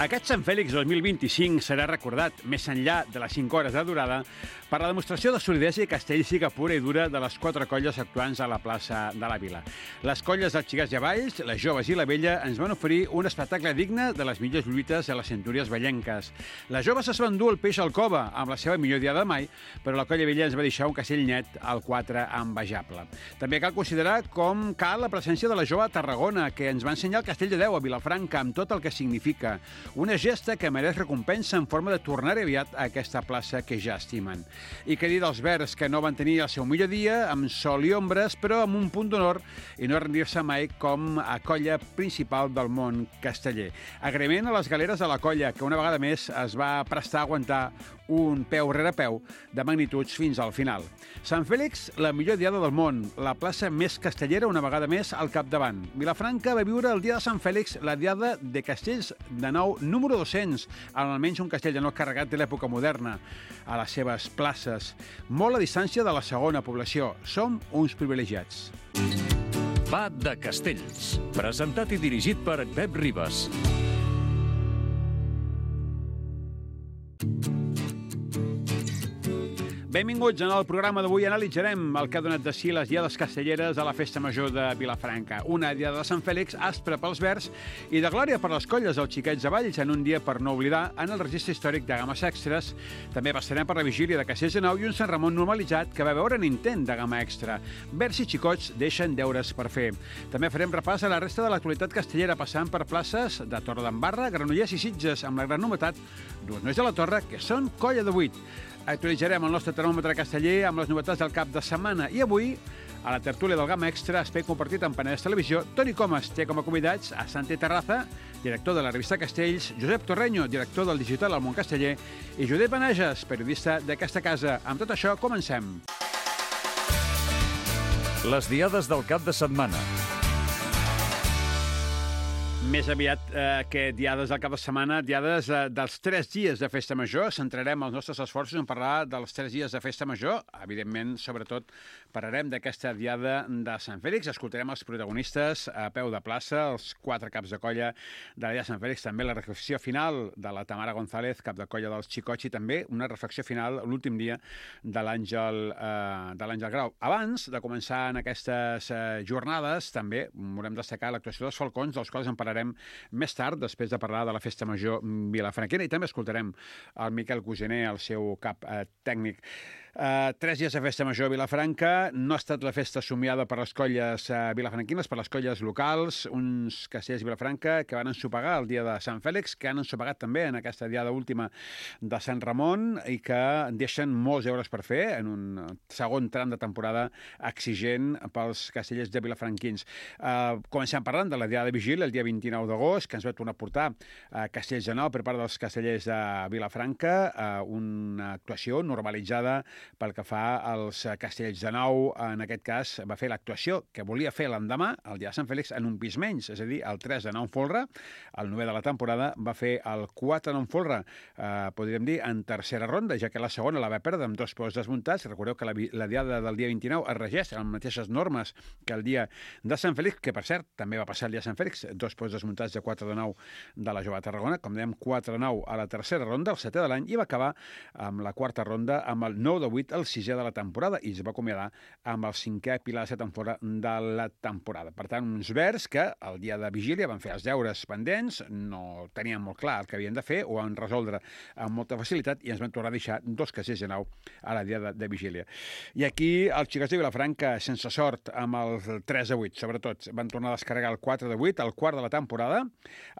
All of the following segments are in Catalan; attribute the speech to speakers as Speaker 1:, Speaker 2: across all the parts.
Speaker 1: Aquest Sant Fèlix 2025 serà recordat, més enllà de les 5 hores de durada, per la demostració de solidesa i castellística pura i dura de les 4 colles actuants a la plaça de la Vila. Les colles dels Xiquets i Valls, les Joves i la Vella ens van oferir un espectacle digne de les millors lluites de les centúries vellenques. Les Joves es van dur el peix al cova amb la seva millor diada de mai, però la colla Vella ens va deixar un castell net al 4 envejable. També cal considerar com cal la presència de la Jove a Tarragona, que ens va ensenyar el Castell de Déu a Vilafranca amb tot el que significa. Una gesta que mereix recompensa en forma de tornar aviat a aquesta plaça que ja estimen. I què dir dels Verds, que no van tenir el seu millor dia, amb sol i ombres, però amb un punt d'honor i no rendir-se mai com a colla principal del món casteller. Agraïment a les galeres de la colla, que una vegada més es va prestar a aguantar un peu rere peu de magnituds fins al final. Sant Fèlix, la millor diada del món, la plaça més castellera una vegada més al capdavant. Vilafranca va viure el dia de Sant Fèlix la diada de castells de nou número 200, amb almenys un castell de nou carregat de l'època moderna a les seves places, molt a distància de la segona població. Som uns privilegiats.
Speaker 2: Va de Castells, presentat i dirigit per Pep Ribas.
Speaker 1: Benvinguts. En el programa d'avui analitzarem el que ha donat de si les diades castelleres a la Festa Major de Vilafranca. Una diada de Sant Fèlix aspra pels Verds i de glòria per les colles dels Xiquets de Valls en un dia per no oblidar en el registre històric de games extres. També passarem per la vigília de Castells de Nou i un Sant Ramon normalitzat que va veure un intent de gamma extra. Verds i xicots deixen deures per fer. També farem repàs a la resta de l'actualitat castellera passant per places de Torredembarra, Granollers i Sitges amb la gran novetat d'uns nois de la Torre que són colla de 8. Actualitzarem el nostre termòmetre casteller amb les novetats del cap de setmana. I avui, a la tertúlia del Gamma Extra, espai compartit amb Penedès Televisió, Toni Comas té com a convidats a Santi Terraza, director de la revista Castells, Josep Torreño, director del digital al Món Casteller, i Josep Benages, periodista d'aquesta casa. Amb tot això, comencem.
Speaker 2: Les diades del cap de setmana.
Speaker 1: Més aviat que diades del cap de setmana, diades dels 3 dies de Festa Major. Centrarem els nostres esforços en parlar dels 3 dies de Festa Major. Evidentment, sobretot, parlarem d'aquesta diada de Sant Fèlix. Escoltarem els protagonistes a peu de plaça, els 4 caps de colla de la diada de Sant Fèlix. També la reflexió final de la Tamara González, cap de colla dels Xicots, i també una reflexió final l'últim dia de l'Àngel Grau. Abans de començar en aquestes jornades, també volem destacar l'actuació dels Falcons, dels quals en parlarem més tard, després de parlar de la Festa Major vilafranquina, i també escoltarem el Miquel Cugener, el seu cap tècnic. 3 dies de Festa Major a Vilafranca. No ha estat la festa somiada per les colles vilafranquines, per les colles locals, uns castells de Vilafranca que van ensopegar el dia de Sant Fèlix, que han ensopegat també en aquesta diada última de Sant Ramon i que deixen molts deures per fer en un segon tram de temporada exigent pels castellers de vilafranquins. Comencem parlant de la diada de vigília, el dia 29 d'agost, que ens va tornar a portar Castells de Nou per part dels castellers de Vilafranca, una actuació normalitzada pel que fa als castells de Nou. En aquest cas va fer l'actuació que volia fer l'endemà, el dia de Sant Fèlix, en un pis menys, és a dir, el 3 de Nou en folre, el 9 de la temporada va fer el 4 de Nou en folre, podríem dir, en tercera ronda, ja que la segona la va perdre amb 2 peus desmuntats. Recordeu que la diada del dia 29 es regeix amb les mateixes normes que el dia de Sant Fèlix, que per cert també va passar el dia de Sant Fèlix, 2 peus desmuntats de 4 de 9 de la Jove de Tarragona, com dèiem, 4 de 9 a la tercera ronda, el 7è de l'any, i va acabar amb la quarta ronda amb el 9 de 8, el 6è de la temporada, i es va acomiadar amb el 5è pilar de 7 en fora de la temporada. Per tant, uns Verds que el dia de vigília van fer els deures pendents, no tenien molt clar el que havien de fer, ho van resoldre amb molta facilitat i ens van tornar a deixar 2 castells de Nou a la dia de vigília. I aquí els Xicots de Vilafranca, sense sort amb el 3 de 8, sobretot, van tornar a descarregar el 4 de 8, el quart de la temporada,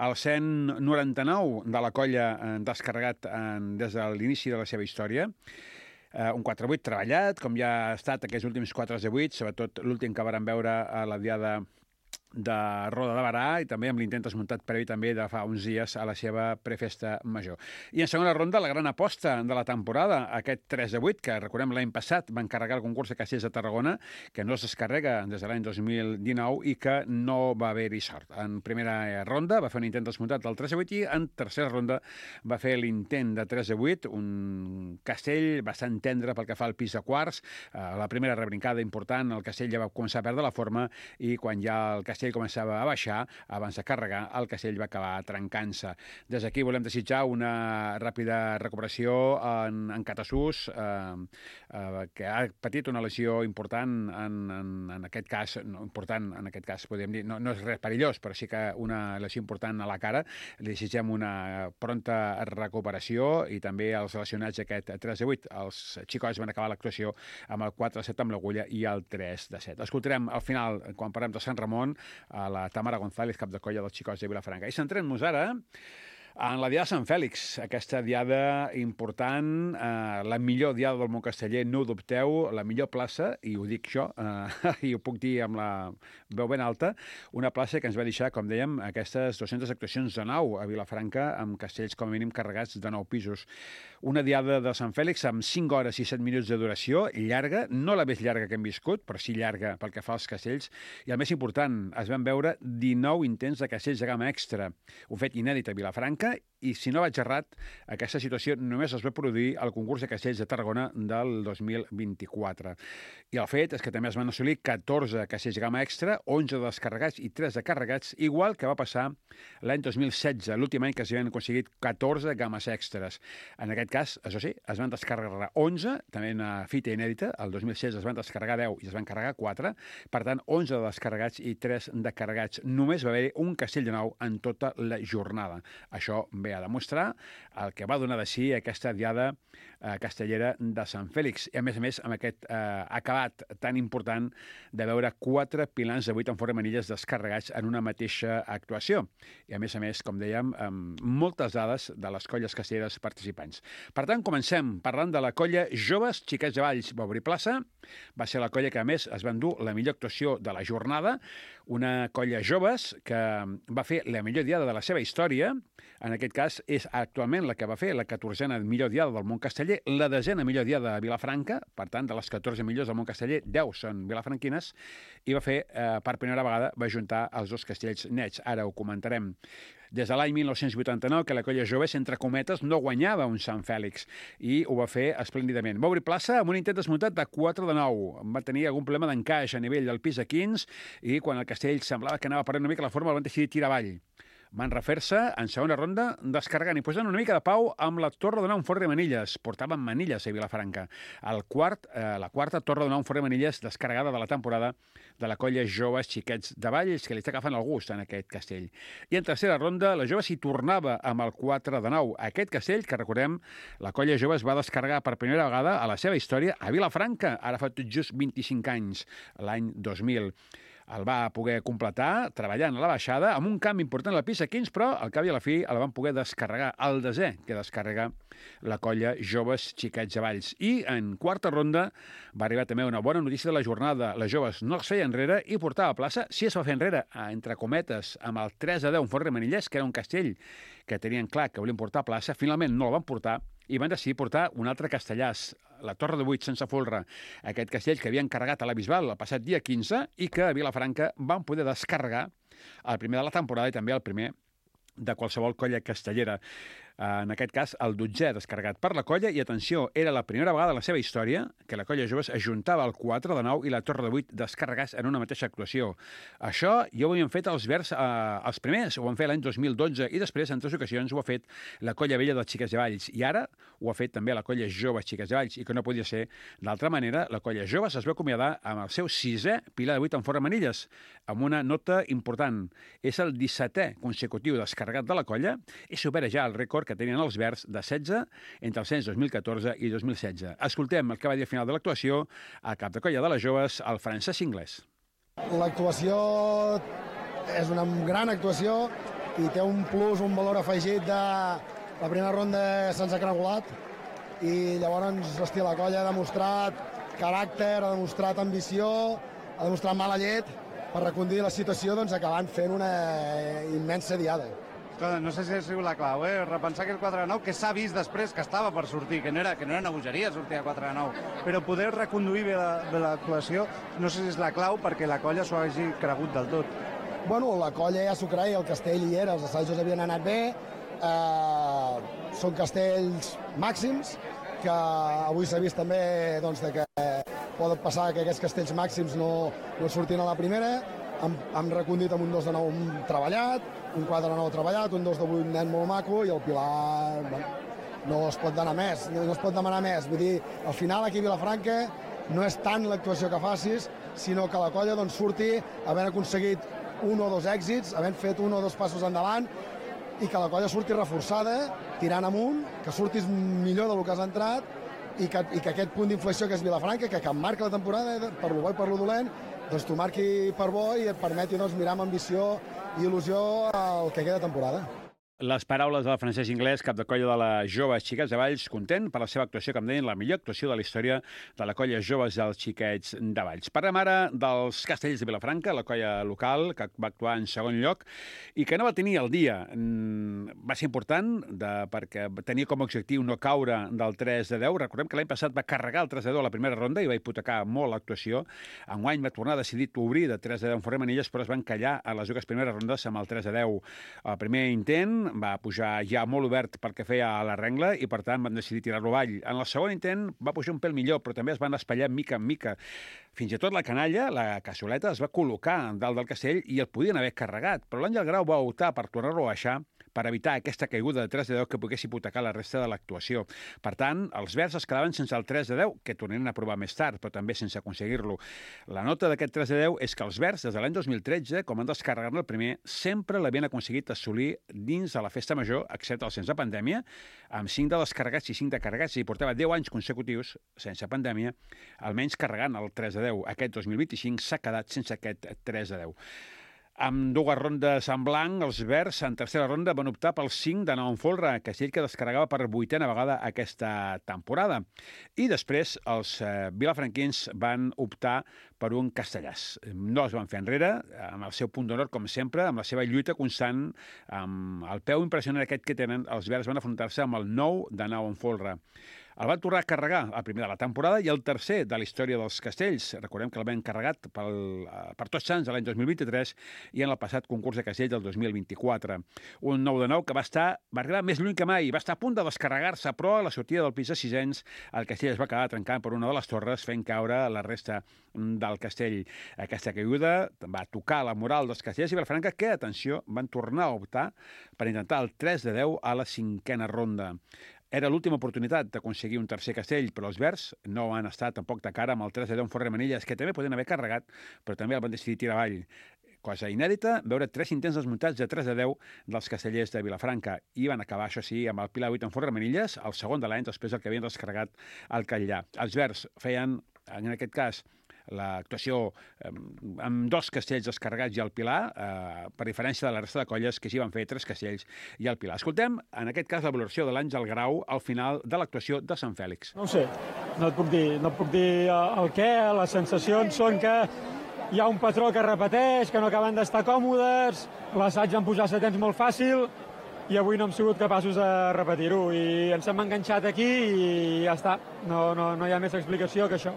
Speaker 1: el 199 de la colla descarregat des de l'inici de la seva història, un 4-8 treballat, com ja ha estat aquests últims 4 de 8, sobretot l'últim que vàrem veure a la diada de Roda de Barà i també amb l'intent desmuntat previ també de fa uns dies a la seva prefesta major. I en segona ronda, la gran aposta de la temporada, aquest 3 de 8, que recordem l'any passat va encarregar el concurs de Castells de Tarragona, que no es descarrega des de l'any 2019 i que no va haver-hi sort. En primera ronda va fer un intent desmuntat del 3 de 8 i en tercera ronda va fer l'intent de 3 de 8, un castell bastant tendre pel que fa al pis de quarts. La primera rebrincada important, el castell ja va començar a perdre la forma i quan ja el castell castell començava a baixar, abans de carregar, el castell va acabar trencant-se. Des d'aquí volem desitjar una ràpida recuperació en Catasús, que ha patit una lesió important en aquest cas, no important en aquest cas, podem dir, no és res perillós, però sí que una lesió important a la cara. Li desitgem una pronta recuperació i també els relacionats aquest 3-8. Els xicots van acabar l'actuació amb el 4-7 amb l'agulla i el 3-7. Escoltarem al final, quan parlem de Sant Ramon, a la Tamara González, cap de colla dels xicots de Vilafranca. I centrem-nos ara en la Diada de Sant Fèlix, aquesta diada important, la millor diada del món casteller, no ho dubteu, la millor plaça, i ho dic jo, i ho puc dir amb la veu ben alta, una plaça que ens va deixar, com dèiem, aquestes 200 actuacions de nau a Vilafranca, amb castells com a mínim carregats de 9 pisos. Una diada de Sant Fèlix amb 5 hores i 7 minuts de duració, llarga, no la més llarga que hem viscut, però sí llarga pel que fa als castells, i el més important, es van veure 19 intents de castells de gamma extra, un fet inèdit a Vilafranca, i si no vaig errat, aquesta situació només es va produir al concurs de castells de Tarragona del 2024. I el fet és que també es van assolir 14 castells de gamma extra, 11 de descarregats i 3 de carregats, igual que va passar l'any 2016, l'últim any que s'havien aconseguit 14 games extres. En aquest cas, això sí, es van descarregar 11, també una fita inèdita, el 2016 es van descarregar 10 i es van carregar 4, per tant, 11 de descarregats i 3 de carregats. Només va haver un castell de nou en tota la jornada. Això ve a demostrar el que va donar de si aquesta diada castellera de Sant Fèlix. I a més, amb aquest acabat tan important de veure 4 pilans de 8 en forma de manilles descarregats en una mateixa actuació. I a més, com dèiem, amb moltes dades de les colles castelleres participants. Per tant, comencem parlant de la colla Joves Xiquets de Valls. Va obrir plaça, va ser la colla que a més es va endur la millor actuació de la jornada, una colla joves que va fer la millor diada de la seva història. En aquest cas és actualment la que va fer la 14a millor diada del món casteller, la 10a millor diada de Vilafranca, per tant, de les 14 millors del món casteller, 10 són vilafranquines, i va fer, per primera vegada, va juntar els dos castells nets. Ara ho comentarem. Des de l'any 1989, que la colla joves, entre cometes, no guanyava un Sant Fèlix, i ho va fer esplèndidament. Va obrir plaça amb un intent desmuntat de 4 de 9. Va tenir algun problema d'encaix a nivell del pis de 15, i quan el castell semblava que anava perdent una mica la forma, el van decidir tirar avall. Van refer-se en segona ronda descarregant i posant una mica de pau amb la torre de nou en forn de manilles. Portaven manilles a Vilafranca. La quarta torre de nou en forn de manilles descarregada de la temporada de la colla Joves Xiquets de Valls, que li està agafant el gust en aquest castell. I en tercera ronda, la jove s'hi tornava amb el 4 de 9. Aquest castell, que recordem, la colla Joves va descarregar per primera vegada a la seva història a Vilafranca, ara fa tot just 25 anys, l'any 2000. El va poder completar treballant a la baixada amb un canvi important a la pista 15, però al cap i a la fi el van poder descarregar, el desè que descarrega la colla Joves Xiquets de Valls. I en quarta ronda va arribar també una bona notícia de la jornada. Les joves no es feia enrere i portava a plaça, si es va fer enrere, entre cometes, amb el 3 a 10 en forn de manillers, que era un castell que tenien clar que volien portar a plaça, finalment no el van portar, i van decidir portar un altre castellàs, la Torre de 8 sense folre, aquest castell que havien carregat a la Bisbal el passat dia 15 i que a Vilafranca van poder descarregar el primer de la temporada i també el primer de qualsevol colla castellera. En aquest cas, el 12è descarregat per la colla, i atenció, era la primera vegada en la seva història que la colla joves ajuntava el 4 de 9 i la torre de 8 descarregats en una mateixa actuació. Això ja ho havien fet els Verds, els primers, ho van fer l'any 2012, i després, en 3 ocasions, ho ha fet la colla vella dels Xiquets de Valls, i ara ho ha fet també la colla joves Xiquets de Valls, i que no podia ser d'altra manera. La colla joves es va acomiadar amb el seu 6è pilar de 8 en forn de manilles, amb una nota important. És el 17è consecutiu descarregat de la colla i supera ja el rècord que tenien els Verds de 16 entre els anys 2014 i 2016. Escoltem el que va dir al final de l'actuació al cap de colla de les joves, el Francesc Inglés.
Speaker 3: L'actuació és una gran actuació i té un plus, un valor afegit de la primera ronda se'ns ha cregulat, i llavors, hòstia, la colla ha demostrat caràcter, ha demostrat ambició, ha demostrat mala llet per reconduir la situació, doncs acabant fent una immensa diada.
Speaker 4: No sé si ha sigut la clau, repensar aquell 4 de 9, que s'ha vist després que estava per sortir, que no era una bogeria sortir a 4 de 9, però poder reconduir bé l'actuació, no sé si és la clau perquè la colla s'ho hagi cregut del tot.
Speaker 3: Bueno, la colla ja s'ho creia, el castell hi era, els assajos havien anat bé, són castells màxims, que avui s'ha vist també doncs, que pot passar que aquests castells màxims no surtin a la primera, hem recondit amb un 2 de 9 treballat, un 4 de 9 treballat, un 2 de 8 net molt maco, i el Pilar, bueno, no es pot demanar més, Vull dir, al final aquí a Vilafranca no és tant l'actuació que facis, sinó que la colla doncs, surti havent aconseguit un o dos èxits, havent fet un o dos passos endavant, i que la colla surti reforçada, tirant amunt, que surtis millor del que has entrat, i que aquest punt d'inflexió que és Vilafranca, que marca la temporada, per lo bo i per lo dolent, doncs t'ho marqui per bo i et permeti doncs, mirar amb ambició i il·lusió el que queda de temporada.
Speaker 1: Les paraules del Francesc Inglés, cap de colla de la Joves Xiquets de Valls, content per la seva actuació, com deien, la millor actuació de la història de la colla Joves dels Xiquets de Valls. Parlem ara dels Castells de Vilafranca, la colla local, que va actuar en segon lloc i que no va tenir el dia. Va ser important perquè tenia com a objectiu no caure del 3 de 10. Recordem que l'any passat va carregar el 3 de 10 a la primera ronda i va hipotecar molt l'actuació. Enguany va tornar decidit obrir de 3 de 10 en Ferrer Manilles, però es van callar a les dues primeres rondes amb el 3 de 10. El primer intent va pujar ja molt obert pel que feia a la rengla i, per tant, van decidir tirar-lo avall. En el segon intent va pujar un pèl millor, però també es van espatllar mica en mica. Fins i tot la canalla, la cassoleta, es va col·locar dalt del castell i el podien haver carregat, però l'Àngel Grau va optar per tornar-lo a baixar per evitar aquesta caiguda de 3 de 10 que pogués hipotecar la resta de l'actuació. Per tant, els verds es quedaven sense el 3 de 10, que tornaran a provar més tard, però també sense aconseguir-lo. La nota d'aquest 3 de 10 és que els verds, des de l'any 2013, com han descarregat el primer, sempre l'havien aconseguit assolir dins de la festa major, excepte el sense pandèmia, amb 5 de descarregats i 5 de carregats, i portava 10 anys consecutius, sense pandèmia, almenys carregant el 3 de 10. Aquest 2025 s'ha quedat sense aquest 3 de 10. Amb dues rondes en blanc, els verds en tercera ronda van optar pel 5 de 9 en folre, castell que descarregava per 8a vegada aquesta temporada. I després els vilafranquins van optar per un castellàs. No es van fer enrere, amb el seu punt d'honor, com sempre, amb la seva lluita constant, amb el peu impressionant aquest que tenen, els verds van afrontar-se amb el 9 de 9 en folre. El van tornar a carregar el primer de la temporada i el tercer de la història dels castells. Recordem que el van carregat per Tots Sants l'any 2023 i en el passat concurs de castells del 2024. Un 9 de 9 que va arribar més lluny que mai, va estar a punt de descarregar-se, però a la sortida del pis de sisens el castell es va quedar trencant per una de les torres, fent caure la resta del castell. Aquesta caiguda va tocar la moral dels castells i Vilafranca que, atenció, van tornar a optar per intentar el 3 de 10 a la cinquena ronda. Era l'última oportunitat d'aconseguir un tercer castell, però els verds no han estat tampoc de cara amb el 3 de 10 en Ferrer Manilles, que també podien haver carregat, però també el van decidir tirar avall. Cosa inèdita, veure 3 intents desmuntats de 3 de 10 dels castellers de Vilafranca. I van acabar, això sí, amb el Pilar 8 en Ferrer Manilles, el segon de l'any, després del que havien descarregat al Catllà. Els verds feien, en aquest cas, l'actuació amb 2 castells descarregats i el Pilar, per diferència de la resta de colles que s'hi van fer 3 castells i el Pilar. Escoltem, en aquest cas, la valoració de l'Àngel Grau al final de l'actuació de Sant Fèlix.
Speaker 5: No ho sé, no et puc dir el què, les sensacions són que hi ha un patró que repeteix, que no acaben d'estar còmodes, l'assaig en pujar setens molt fàcil, i avui no hem sigut capaços de repetir-ho, i ens hem enganxat aquí i ja està, no hi ha més explicació que això.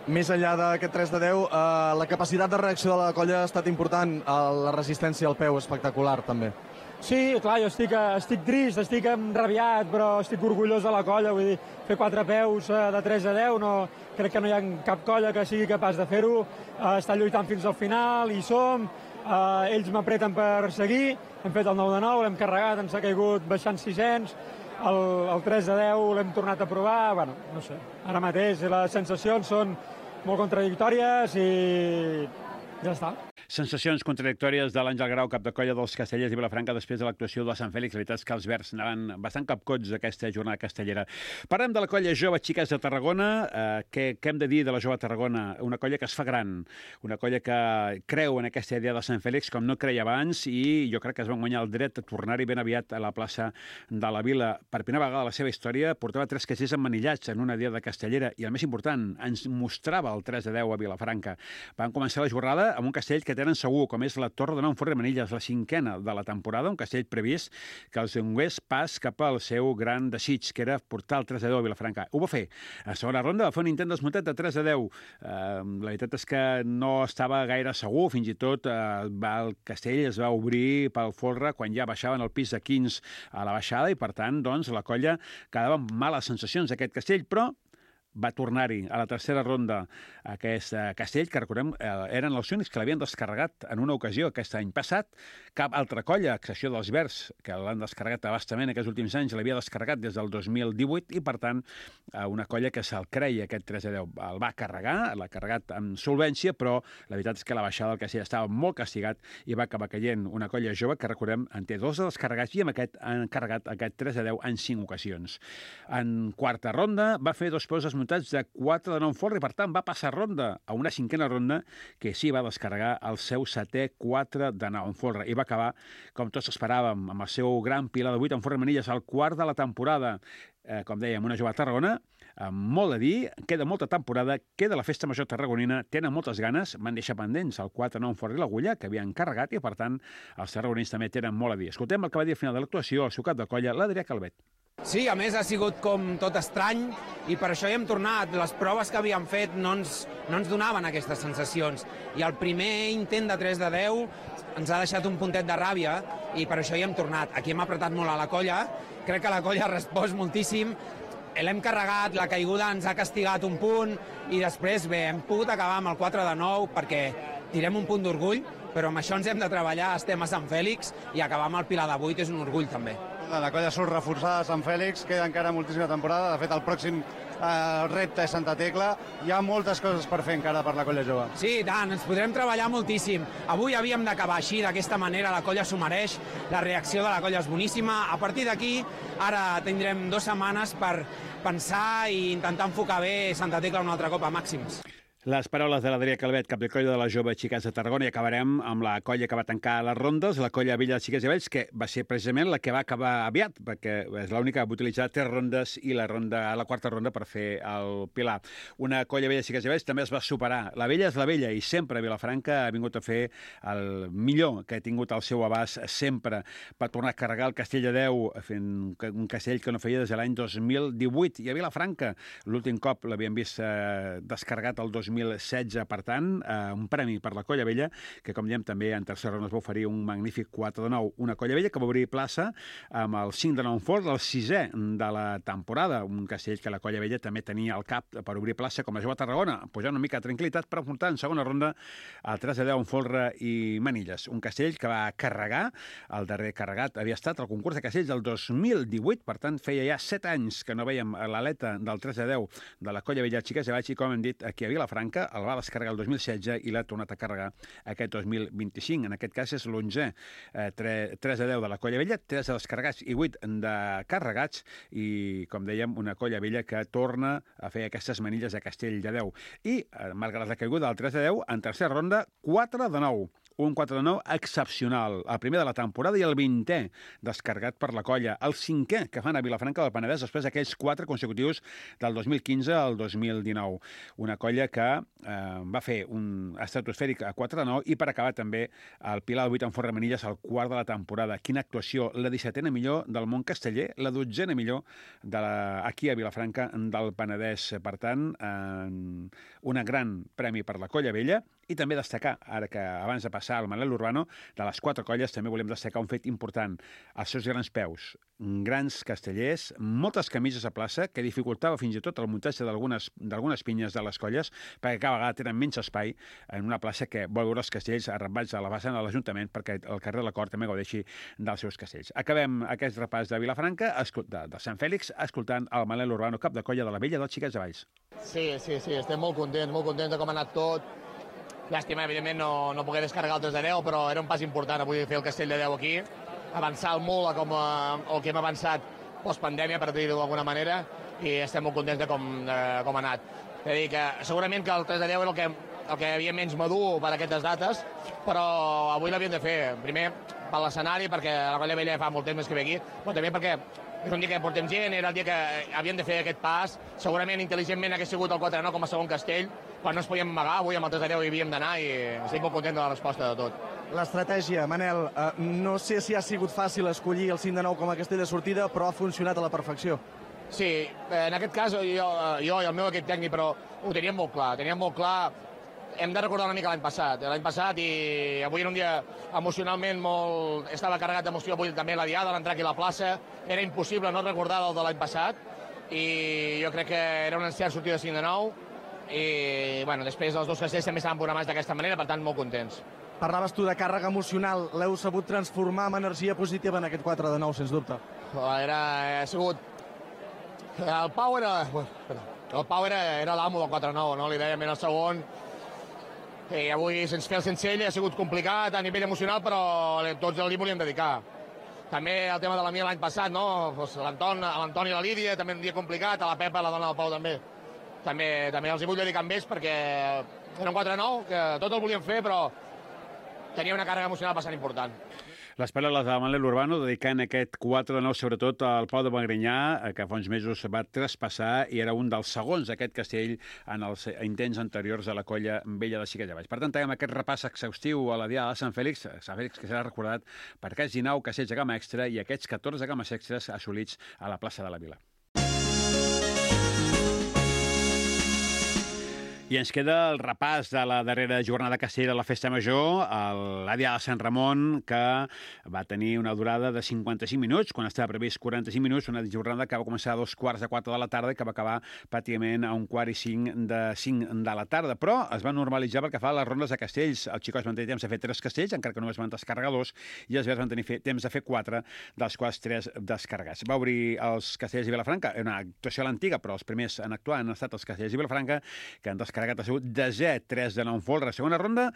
Speaker 6: Més enllà d'aquest 3 de 10, la capacitat de reacció de la colla ha estat important, la resistència al peu espectacular, també.
Speaker 5: Sí, clar, jo estic trist, estic enrabiat, però estic orgullós de la colla, vull dir, fer 4 peus de 3 a 10, crec que no hi ha cap colla que sigui capaç de fer-ho, està lluitant fins al final, hi som, ells m'apreten per seguir, hem fet el 9 de 9, l'hem carregat, ens ha caigut baixant 600, el 3 de 10 l'hem tornat a provar, bueno, no sé, ara mateix les sensacions són molt contradictòries i ja està.
Speaker 1: Sensacions contradictòries de l'Àngel Grau, cap de colla dels castellers de Vilafranca després de l'actuació de Sant Fèlix. La veritat és que els verds anaven bastant capcots d'aquesta jornada castellera. Parlem de la colla Jove Xiques de Tarragona. Què hem de dir de la Jove Tarragona? Una colla que es fa gran, una colla que creu en aquesta idea de Sant Fèlix com no creia abans i jo crec que es van guanyar el dret a tornar-hi ben aviat a la plaça de la Vila. Per primera vegada a la seva història portava 3 castellers emmanillats en una diada castellera i el més important, ens mostrava el 3 de 10 a Vilafranca. Van començar la jornada amb un castell que tenen segur, com és la Torre de Nou en Ferrer Manilles, la 5a de la temporada, un castell previst que els donés pas cap al seu gran desig, que era portar el 3 de 10 a Vilafranca. Ho va fer. A segona ronda va fer un intent desmuntat de 3 de 10. La veritat és que no estava gaire segur, fins i tot el castell es va obrir pel folre quan ja baixaven el pis de 15 a la baixada i, per tant, doncs, la colla quedava amb males sensacions d'aquest castell, però va tornar-hi a la tercera ronda aquest castell, que recordem, eren els únics que l'havien descarregat en una ocasió aquest any passat. Cap altra colla, a excepció dels Verds, que l'han descarregat abastament aquests últims anys, l'havia descarregat des del 2018 i, per tant, una colla que se'l creia aquest 3-10. El va carregar, l'ha carregat amb solvència, però la veritat és que la baixada del castell estava molt castigat i va acabar caient una colla jove que, recordem, en té 2 de descarregats i amb aquest han carregat aquest 3-10 en 5 ocasions. En quarta ronda va fer 2 peus desmuntats de 4 de 9 folre i, per tant, va passar ronda a una 5a ronda que sí va descarregar el seu 7è 4 de 9 folre i va acabar, com tots esperàvem, amb el seu gran pilar de 8 en folre manilles, al quart de la temporada. Com dèiem, una jove a Tarragona, amb molt a dir, queda molta temporada, queda la festa major tarragonina, tenen moltes ganes, van deixar pendents el 4-9 en folre i l'agulla, que havien carregat, i per tant els tarragonins també tenen molt a dir. Escoltem el que va dir al final de l'actuació, el seu cap de colla, l'Adrià Calvet.
Speaker 7: Sí, a més ha sigut com tot estrany i per això hi hem tornat. Les proves que havíem fet no ens donaven aquestes sensacions. I el primer intent de 3-10 ens ha deixat un puntet de ràbia i per això hi hem tornat. Aquí hem apretat molt a la colla, crec que la colla ha respost moltíssim. L'hem carregat, la caiguda ens ha castigat un punt i després, bé, hem pogut acabar amb el 4-9 perquè tirem un punt d'orgull, però amb això ens hem de treballar, estem a Sant Fèlix i acabar amb el pilar de 8 és un orgull també.
Speaker 4: La colla surt reforçada a Sant Fèlix, queda encara moltíssima temporada, de fet el pròxim repte és Santa Tecla, hi ha moltes coses per fer encara per la colla jove.
Speaker 7: Sí, i tant, ens podrem treballar moltíssim. Avui havíem d'acabar així, d'aquesta manera, la colla s'ho mereix, la reacció de la colla és boníssima. A partir d'aquí, ara tindrem 2 setmanes per pensar i intentar enfocar bé Santa Tecla un altre cop a màxims.
Speaker 1: Les paraules de l'Adrià Calvet, cap de colla de la jove Xiquets de Tarragona, i acabarem amb la colla que va tancar les rondes, la colla Villa de Xiquets i Vells, que va ser precisament la que va acabar aviat, perquè és l'única que va utilitzar 3 rondes i la 4a ronda per fer el pilar. Una colla Vella de Xiquets i Vells també es va superar. La Vella és la Vella i sempre Vilafranca ha vingut a fer el millor que ha tingut al seu abast sempre. Va tornar a carregar el Castell de Déu, fent un castell que no feia des de l'any 2018. I a Vilafranca l'últim cop l'havíem vist descarregat el 2016, per tant, un premi per la colla vella, que com diem també en tercera ronda es va oferir un magnífic 4 de 9. Una colla vella que va obrir plaça amb el 5 de 9 en fort, el 6è de la temporada, un castell que la colla vella també tenia al cap per obrir plaça com la jove Tarragona, pujant una mica de tranquil·litat per apuntar en segona ronda el 3 de 10 en folre i manilles. Un castell que va carregar, el darrer carregat havia estat el concurs de castells del 2018, per tant feia ja 7 anys que no veiem l'aleta del 3 de 10 de la colla vella Xiquets de Baix i, com hem dit, aquí a Vilafranca el va descarregar el 2016 i l'ha tornat a carregar aquest 2025. En aquest cas és l'11è 3 de 10 de la colla vella, 3 de descarregats i 8 de carregats i, com dèiem, una colla vella que torna a fer aquestes manilles de Castell de Déu. I, malgrat la caiguda del 3 de 10, en tercera ronda, 4 de 9. Un 4 de 9 excepcional. El primer de la temporada i el 20è descarregat per la colla. El 5è que fan a Vilafranca del Penedès després d'aquells 4 consecutius del 2015 al 2019. Una colla que va fer un estratosfèric a 4 de 9 i per acabar també el pilar de 8 en forra manilles al quart de la temporada. Quina actuació! La 17a millor del món casteller, la 12a millor aquí a Vilafranca del Penedès. Per tant, un gran premi per la colla vella. I també destacar, ara que abans de passar al Manel Urbano, de les 4 colles també volem destacar un fet important, els seus grans peus, grans castellers, moltes camises a plaça, que dificultava fins i tot el muntatge d'algunes pinyes de les colles, perquè cada vegada tenen menys espai en una plaça que vol veure els castells arrambats a la base de l'Ajuntament perquè el carrer de la Cort també gaudeixi dels seus castells. Acabem aquest repàs de Vilafranca, de Sant Fèlix, escoltant el Manel Urbano, cap de colla de la Vella dels Xiquets de Valls.
Speaker 8: Sí, estem molt contents de com ha anat tot. Llàstima, evidentment, no poder descarregar el 3 de 10, però era un pas important avui fer el Castell de 10 aquí, avançar molt com el que hem avançat post-pandèmia, per dir-ho d'alguna manera, i estem molt contents de com ha anat. És a dir, que segurament que el 3 de 10 era el que havia menys madur per aquestes dates, però avui l'havíem de fer, primer per l'escenari, perquè la colla vella fa molt temps que ve aquí, però també perquè és un dia que portem gent, era el dia que havíem de fer aquest pas, segurament intel·ligentment hagués sigut el 4-9 com a segon castell, però no ens podíem amagar, avui amb el 3 de 10 hi havíem d'anar i estic molt content de la resposta de tot.
Speaker 6: L'estratègia, Manel, no sé si ha sigut fàcil escollir el 5 de 9 com a castell de sortida, però ha funcionat a la perfecció.
Speaker 8: Sí, en aquest cas jo i el meu equip tècnic, però ho teníem molt clar, hem de recordar una mica l'any passat i avui era un dia emocionalment estava carregat d'emoció, avui també la diada, l'entrar aquí a la plaça, era impossible no recordar el de l'any passat i jo crec que era un encert sortir de 5 de 9, i bueno, després els dos castells també estaven programats d'aquesta manera, per tant, molt contents.
Speaker 6: Parlaves tu de càrrega emocional, l'heu sabut transformar en energia positiva en aquest 4 de 9, sens dubte.
Speaker 8: Ha sigut... El Pau era l'amo del 4-9, no? Li dèiem en el segon. I avui, sense fer el sense ell, ha sigut complicat a nivell emocional, però tots li volíem dedicar. També el tema de la Mia l'any passat, no? L'Anton i la Lídia, també un dia complicat, a la Pepa, la dona del Pau, també. També els hi vull dedicar amb ells, perquè era un 4-9, que tot el volíem fer, però tenia una càrrega emocional bastant important.
Speaker 1: Les paraules de Manel Urbano dedicant aquest 4 de 9 sobretot al Pau de Magrinyà, que fa uns mesos va traspassar i era un dels segons d'aquest castell en els intents anteriors a la colla vella de Xiquets de Valls. Per tant, tenim aquest repàs exhaustiu a la Diada de Sant Fèlix que serà recordat per aquests 19 castells de gamma extra i aquests 14 gammes extras assolits a la plaça de la Vila. I ens queda el repàs de la darrera jornada castell de la Festa Major, la Diada de Sant Ramon, que va tenir una durada de 55 minuts, quan estava previst 45 minuts, una jornada que va començar a 3:15 de la tarda i que va acabar pràcticament a 4:45 de la tarda. Però es va normalitzar pel que fa a les rondes de castells. Els xicots van tenir temps de fer 3 castells, encara que només van descarregar 2, i els verds van tenir temps de fer 4, dels quals 3 descarregats. Va obrir els castells de Vilafranca, una actuació a l'antiga, però els primers en actuar han estat els castells de Vilafranca, que han descarregat ha sigut desè, 3 de 9 folre. Segona ronda,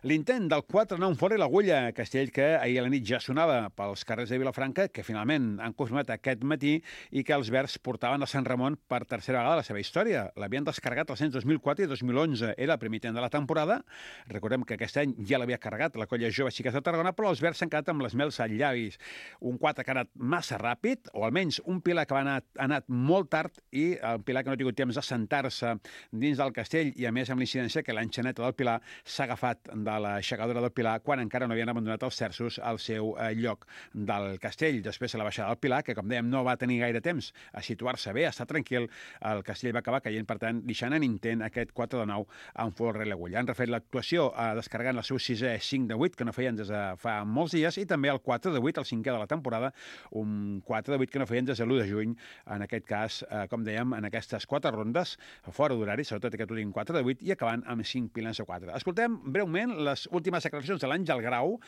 Speaker 1: l'intent del 4 de 9 folre i l'Agulla, castell que ahir a la nit ja sonava pels carrers de Vilafranca, que finalment han confirmat aquest matí i que els verds portaven a Sant Ramon per tercera vegada la seva història. L'havien descarregat els anys 2004 i 2011. Era el primer intent de la temporada. Recordem que aquest any ja l'havia carregat la colla jove Xiquets de Tarragona, però els verds s'han quedat amb les mels als llavis. Un 4 que ha anat massa ràpid, o almenys un pilar que ha anat molt tard i el pilar que no ha tingut temps d'assentar-se dins del castell, i a més amb l'incidència que l'enxaneta del pilar s'ha agafat de l'aixecadora del pilar quan encara no havien abandonat els terços al seu lloc del castell. Després de la baixada del pilar, que com dèiem no va tenir gaire temps a situar-se bé, a estar tranquil, el castell va acabar caient, per tant, deixant en intent aquest 4 de 9 amb folre i l'Agulla. Han refet l'actuació descarregant el seu 6è 5 de 8, que no feien des de fa molts dies, i també el 4 de 8, el 5è de la temporada, un 4 de 8 que no feien des de l'1 de juny, en aquest cas, com dèiem, en aquestes 4 rondes, fora d'horari, sobretot aquest últim 4 de 8, i acabant amb 5 pilans de 4. Escoltem breument les últimes declaracions de l'Àngel Grau,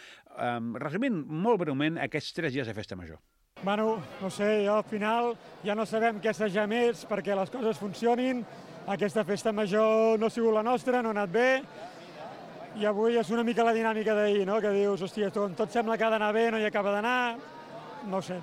Speaker 1: resumint molt breument aquests 3 dies de Festa Major.
Speaker 5: Bueno, no sé, al final ja no sabem què assajar més perquè les coses funcionin. Aquesta Festa Major no ha sigut la nostra, no ha anat bé, i avui és una mica la dinàmica d'ahir, no? Que dius, hòstia, tot sembla que ha d'anar bé, no hi acaba d'anar, no ho sé.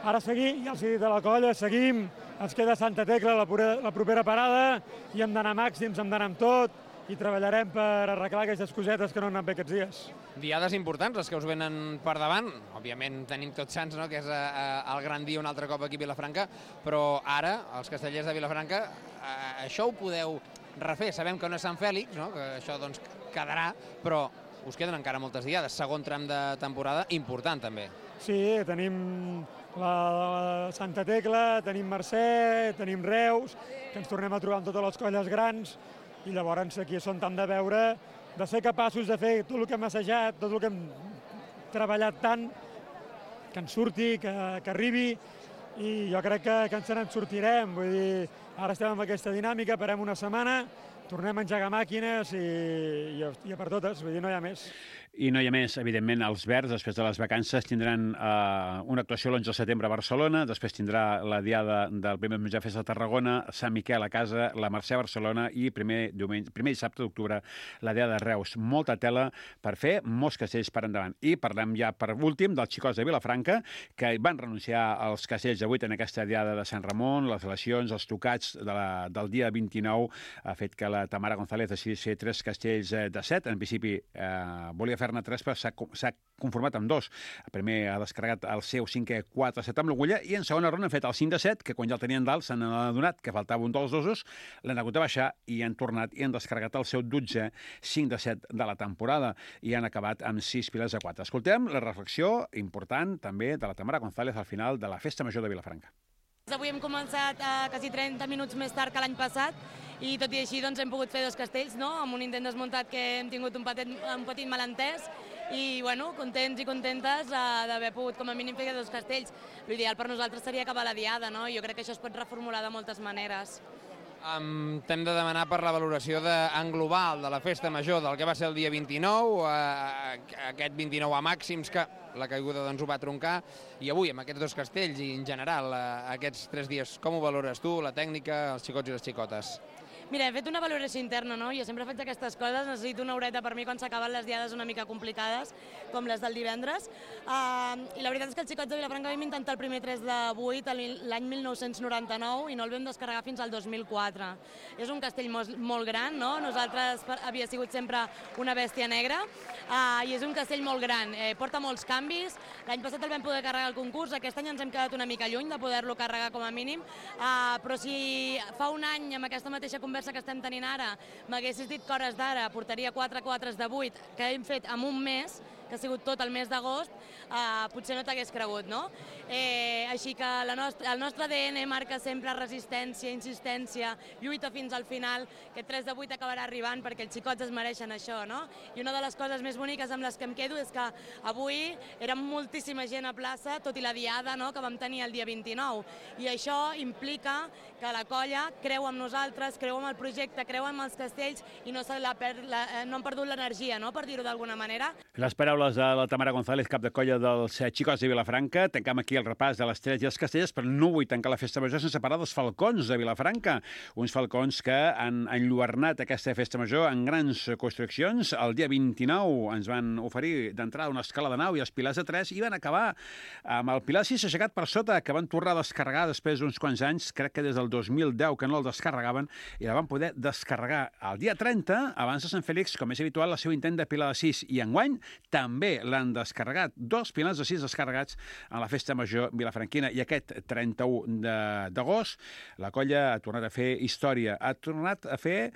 Speaker 5: Ara seguim, ja els he dit a la colla, seguim, ens queda Santa Tecla, la propera parada, i hem d'anar màxims, hem d'anar amb tot, i treballarem per arreglar aquestes cosetes que no han anat bé aquests dies.
Speaker 7: Diades importants, les que us venen per davant. Òbviament tenim Tots Sants, no?, que és el gran dia un altre cop aquí a Vilafranca, però ara, els castellers de Vilafranca, això ho podeu refer. Sabem que no és Sant Fèlix, no?, que això doncs quedarà, però us queden encara moltes diades. Segon tram de temporada, important també.
Speaker 5: Sí, tenim la Santa Tecla, tenim Mercè, tenim Reus, que ens tornem a trobar amb totes les colles grans, i llavors aquí són tant de veure, de ser capaços de fer tot el que hem assajat, tot el que hem treballat tant, que ens surti, que arribi, i jo crec que ens en sortirem. Vull dir, ara estem en aquesta dinàmica, parem una setmana, tornem a engegar màquines i a per totes, vull dir, no hi ha més.
Speaker 1: I no hi ha més, evidentment, els verds, després de les vacances, tindran una actuació l'11 de setembre a Barcelona, després tindrà la diada del primer diumenge de Festa de Tarragona, Sant Miquel a casa, la Mercè a Barcelona i primer dissabte d'octubre la diada de Reus. Molta tela per fer, molts castells per endavant. I parlem ja per últim dels xicots de Vilafranca, que van renunciar als castells d'avui en aquesta diada de Sant Ramon, les lesions, els tocats del dia 29, ha fet que la Tamara González decidís fer 3 castells de 7. En principi volia fer-ne 3, però s'ha conformat amb 2. Primer ha descarregat el seu 5è 4-7 amb l'Agulla, i en segona ronda han fet el 5 de 7, que quan ja el tenien dalt s'han adonat que faltava un dels dosos, l'han hagut de baixar i han tornat i han descarregat el seu 12è 5 de 7 de la temporada i han acabat amb 6 piles de 4. Escoltem la reflexió important també de la Tamara González al final de la Festa Major de Vilafranca.
Speaker 9: Avui hem començat quasi 30 minuts més tard que l'any passat i tot i així doncs, hem pogut fer 2 castells, no? Amb un intent desmuntat que hem tingut un petit malentès i, bueno, contents i contentes d'haver pogut, com a mínim, fer 2 castells. L'ideal per nosaltres seria acabar la diada, no? Jo crec que això es pot reformular de moltes maneres.
Speaker 7: T'hem de demanar per la valoració en global de la festa major del que va ser el dia 29, aquest 29 a màxims, que la caiguda doncs ho va troncar, i avui amb aquests 2 castells i en general aquests 3 dies, com ho valores tu, la tècnica, els xicots i les xicotes?
Speaker 9: Mira, he fet una valoració interna, no? Jo sempre faig aquestes coses, necessito una horeta per mi quan s'acaben les diades una mica complicades, com les del divendres. I la veritat és que els xicots de Vilafranca vam intentar el primer 3 de 8 l'any 1999 i no el vam descarregar fins al 2004. És un castell molt gran, no? Nosaltres havia sigut sempre una bèstia negra i és un castell molt gran. Porta molts canvis. L'any passat el vam poder carregar al concurs, aquest any ens hem quedat una mica lluny de poder-lo carregar com a mínim, però si fa un any amb aquesta mateixa conversa que estem tenint ara, m'haguessis dit que hores d'ara portaria 4 quatres de 8 que hem fet en un mes, que ha sigut tot el mes d'agost, potser no t'hagués cregut, no? Així que el nostre ADN marca sempre resistència, insistència, lluita fins al final, que 3 de 8 acabarà arribant perquè els xicots es mereixen això, no? I una de les coses més boniques amb les que em quedo és que avui érem moltíssima gent a plaça, tot i la diada, no?, que vam tenir el dia 29. I això implica que la colla creu en nosaltres, creu en el projecte, creu en els castells i no han perdut l'energia, no?, per dir-ho d'alguna manera.
Speaker 1: Les paraules de la Tamara González, cap de colla dels xicots de Vilafranca. Tancam aquí el repàs de les 3 i els castells, però no vull tancar la festa major sense parlar dels falcons de Vilafranca. Uns falcons que han enlluernat aquesta festa major en grans construccions. El dia 29 ens van oferir d'entrada una escala de nau i els pilars de 3 i van acabar amb el pilar 6 aixecat per sota, que van tornar a descarregar després d'uns quants anys, crec que des del 2010 que no el descarregaven, i la van poder descarregar el dia 30, abans de Sant Fèlix, com és habitual, el seu intent de pilar de 6, i enguany també l'han descarregat, 2 pilars de 6 descarregats en la festa major vilafranquina, i aquest 31 d'agost la colla ha tornat a fer història, ha tornat a fer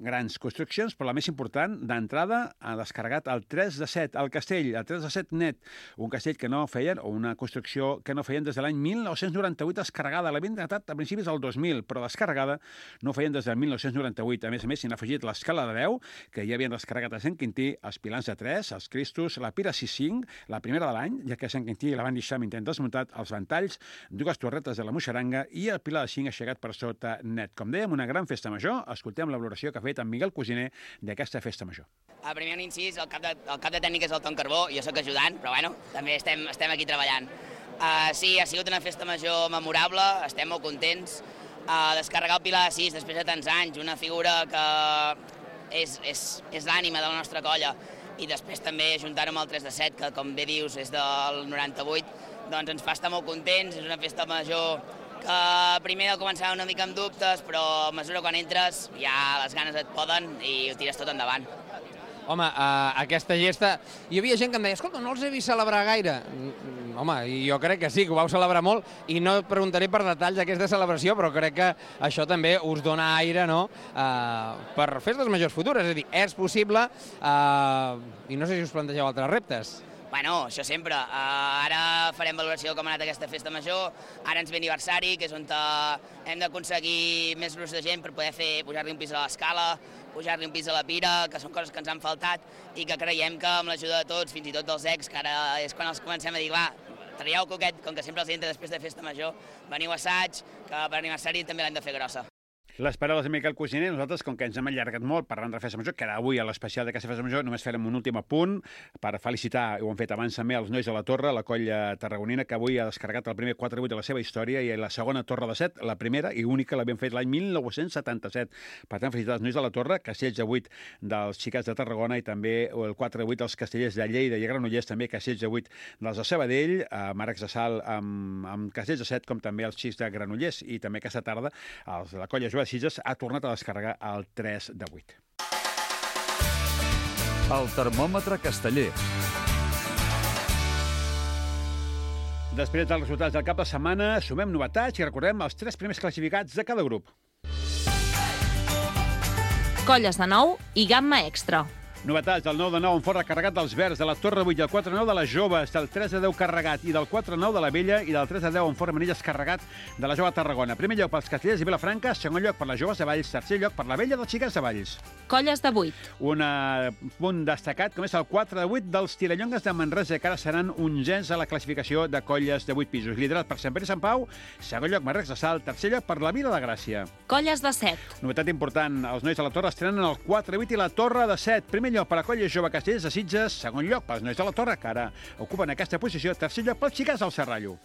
Speaker 1: grans construccions, però la més important, d'entrada, ha descarregat el 3 de 7, el castell, el 3 de 7 net, un castell que no feien, o una construcció que no feien des de l'any 1998 descarregada, l'havien datat a principis del 2000, però descarregada no feien des del 1998. A més, s'hi han afegit l'escala de 10, que ja havien descarregat a Sant Quintí, els pilars de 3, els Cristos, la Pira 6-5, la primera de l'any, ja que a Sant Quintí la van deixar amb intent desmuntat, els ventalls, 2 torretes de la Moixaranga i el pilar de 5 aixecat per sota net. Com dèiem, una gran festa major. Escoltem la valoració que ha fet en Miguel Cosiner d'aquesta festa major.
Speaker 10: Primer un incís, el cap de tècnic és el Tom Carbó, jo sóc ajudant, però bueno, també estem aquí treballant. Sí, ha sigut una festa major memorable, estem molt contents. Descarregar el pilar de 6 després de tants anys, una figura que és l'ànima de la nostra colla, i després també ajuntar-ho amb el 3 de 7, que com bé dius és del 98, doncs ens fa estar molt contents. És una festa major que primer deu començar una mica amb dubtes, però a mesura quan entres ja les ganes et poden i ho tires tot endavant.
Speaker 7: Home, aquesta gesta... Hi havia gent que em deia, escolta, no els he vist celebrar gaire. Home, jo crec que sí, que ho vau celebrar molt, i no et preguntaré per detalls d'aquesta celebració, però crec que això també us dona aire, no?, per festes majors futures. És a dir, és possible, i no sé si us plantegeu altres reptes.
Speaker 10: Bueno, això sempre. Ara farem valoració de com ha anat aquesta festa major. Ara ens ve aniversari, que és on hem d'aconseguir més grups de gent per poder pujar-li un pis a l'escala, pujar-li un pis a la Pira, que són coses que ens han faltat i que creiem que amb l'ajuda de tots, fins i tot dels ex, que ara és quan els comencem a dir, va, traieu coquet, com que sempre els entra després de festa major, veniu a assaig, que per aniversari també l'hem de fer grossa.
Speaker 1: Les paraules de Miquel Cosiner. Nosaltres, com que ens hem allargat molt parlant de la festa major, que ara avui a l'especial d'aquesta festa major només farem un últim apunt per felicitar, ho han fet abans també, els nois de la Torre, la colla tarragonina, que avui ha descarregat el primer 4-8 de la seva història i la segona Torre de 7, la primera i única, l'havien fet l'any 1977. Per tant, felicitar els nois de la Torre, castells de 8 dels xicats de Tarragona i també el 4-8 dels castellers de Lleida i Granollers, també castells de 8 dels de Sabadell, Marcs de Sal amb castells de 7, com també els xics de Granollers. I també aquesta tarda els de la colla Joan Sitges ha tornat a descarregar el 3 de 8.
Speaker 2: El termòmetre casteller.
Speaker 1: Després dels resultats del cap de setmana, sumem novetats i recordem els 3 primers classificats de cada grup.
Speaker 11: Colles de 9 i gamma extra.
Speaker 1: Novetats del 9-9 en fort recarregat dels Verds, de la Torre 8 i el 4-9 de les Joves, del 3-10 carregat i del 4-9 de la Vella i del 3-10 en fort Manilles carregat de la Jove Tarragona. Primer lloc pels Castellers i Vilafranca, segon lloc per les Joves de Valls, tercer lloc per la Vella dels Xiquets de Valls.
Speaker 11: Colles de 8.
Speaker 1: Un punt destacat, com és el 4-8 dels Tirallongues de Manresa, que ara seran 11 a la classificació de colles de 8 pisos. Liderat per Sant Pere i Sant Pau, segon lloc Marrecs de Salt, tercer lloc per la Vila de Gràcia.
Speaker 11: Colles de 7.
Speaker 1: Novetat important, els nois de la Torre estrenen el 4-8 i la Torre de 7. Primer lloc per la colla jove Castellers de Sitges, segon lloc pels nois de la Torre, que ara ocupen aquesta posició, tercer lloc pels Xiquets del Serrallo.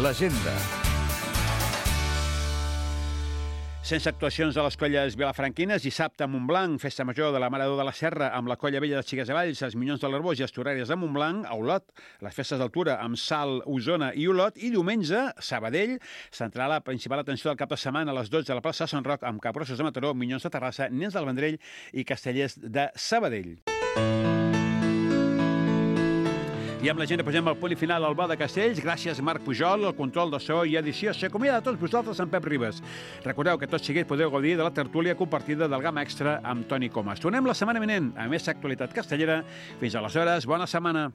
Speaker 2: L'agenda.
Speaker 1: Sense actuacions de les colles vilafranquines, dissabte a Montblanc, festa major de la Mare de la Serra amb la colla vella de Xiquets de Valls, els Minyons de l'Arbós i Estoràries de Montblanc, a Olot, les festes d'altura amb Salt, Osona i Olot, i diumenge, Sabadell, centrarà la principal atenció del cap de setmana a les 12 de la plaça Sant Roc amb Capgrossos de Mataró, Minyons de Terrassa, Nens del Vendrell i Castellers de Sabadell. I amb la gent posem el punt i final al Bar de Castells. Gràcies, Marc Pujol, el control de so i edició. S'acomiada a tots vosaltres amb Pep Ribes. Recordeu que tots seguits podeu gaudir de la tertúlia compartida del Gama Extra amb Toni Comas. Tornem la setmana vinent a més actualitat castellera. Fins aleshores, bona setmana.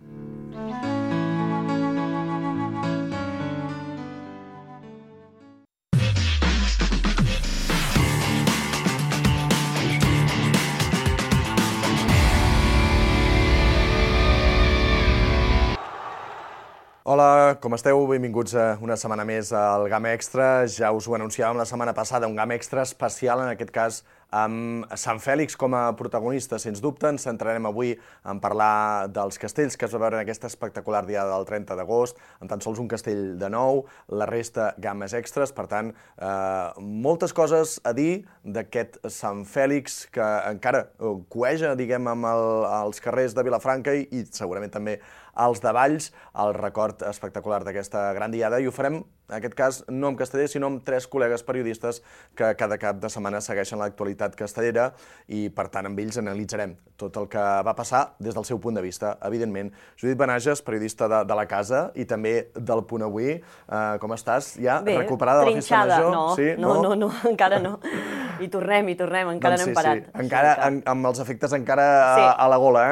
Speaker 6: Hola, com esteu? Benvinguts una setmana més al GAM Extra. Ja us ho anunciàvem la setmana passada, un GAM Extra especial, en aquest cas amb Sant Fèlix com a protagonista, sens dubte. Ens centrarem avui en parlar dels castells que es va veure en aquesta espectacular diada del 30 d'agost, amb tan sols un castell de nou, la resta games extras. Per tant, moltes coses a dir d'aquest Sant Fèlix que encara cueja, diguem, amb els carrers de Vilafranca i segurament també als de Valls, el record espectacular d'aquesta gran diada, i ho farem, en aquest cas, no amb castellers, sinó amb tres col·legues periodistes que cada cap de setmana segueixen l'actualitat castellera i, per tant, amb ells analitzarem tot el que va passar des del seu punt de vista. Evidentment, Judit Benages, periodista de la casa i també del Punt Avui. Com estàs? Ja recuperada de la festa major?
Speaker 12: No, encara no. I tornem, encara no hem parat.
Speaker 6: Sí. Encara, amb els efectes encara a la gola,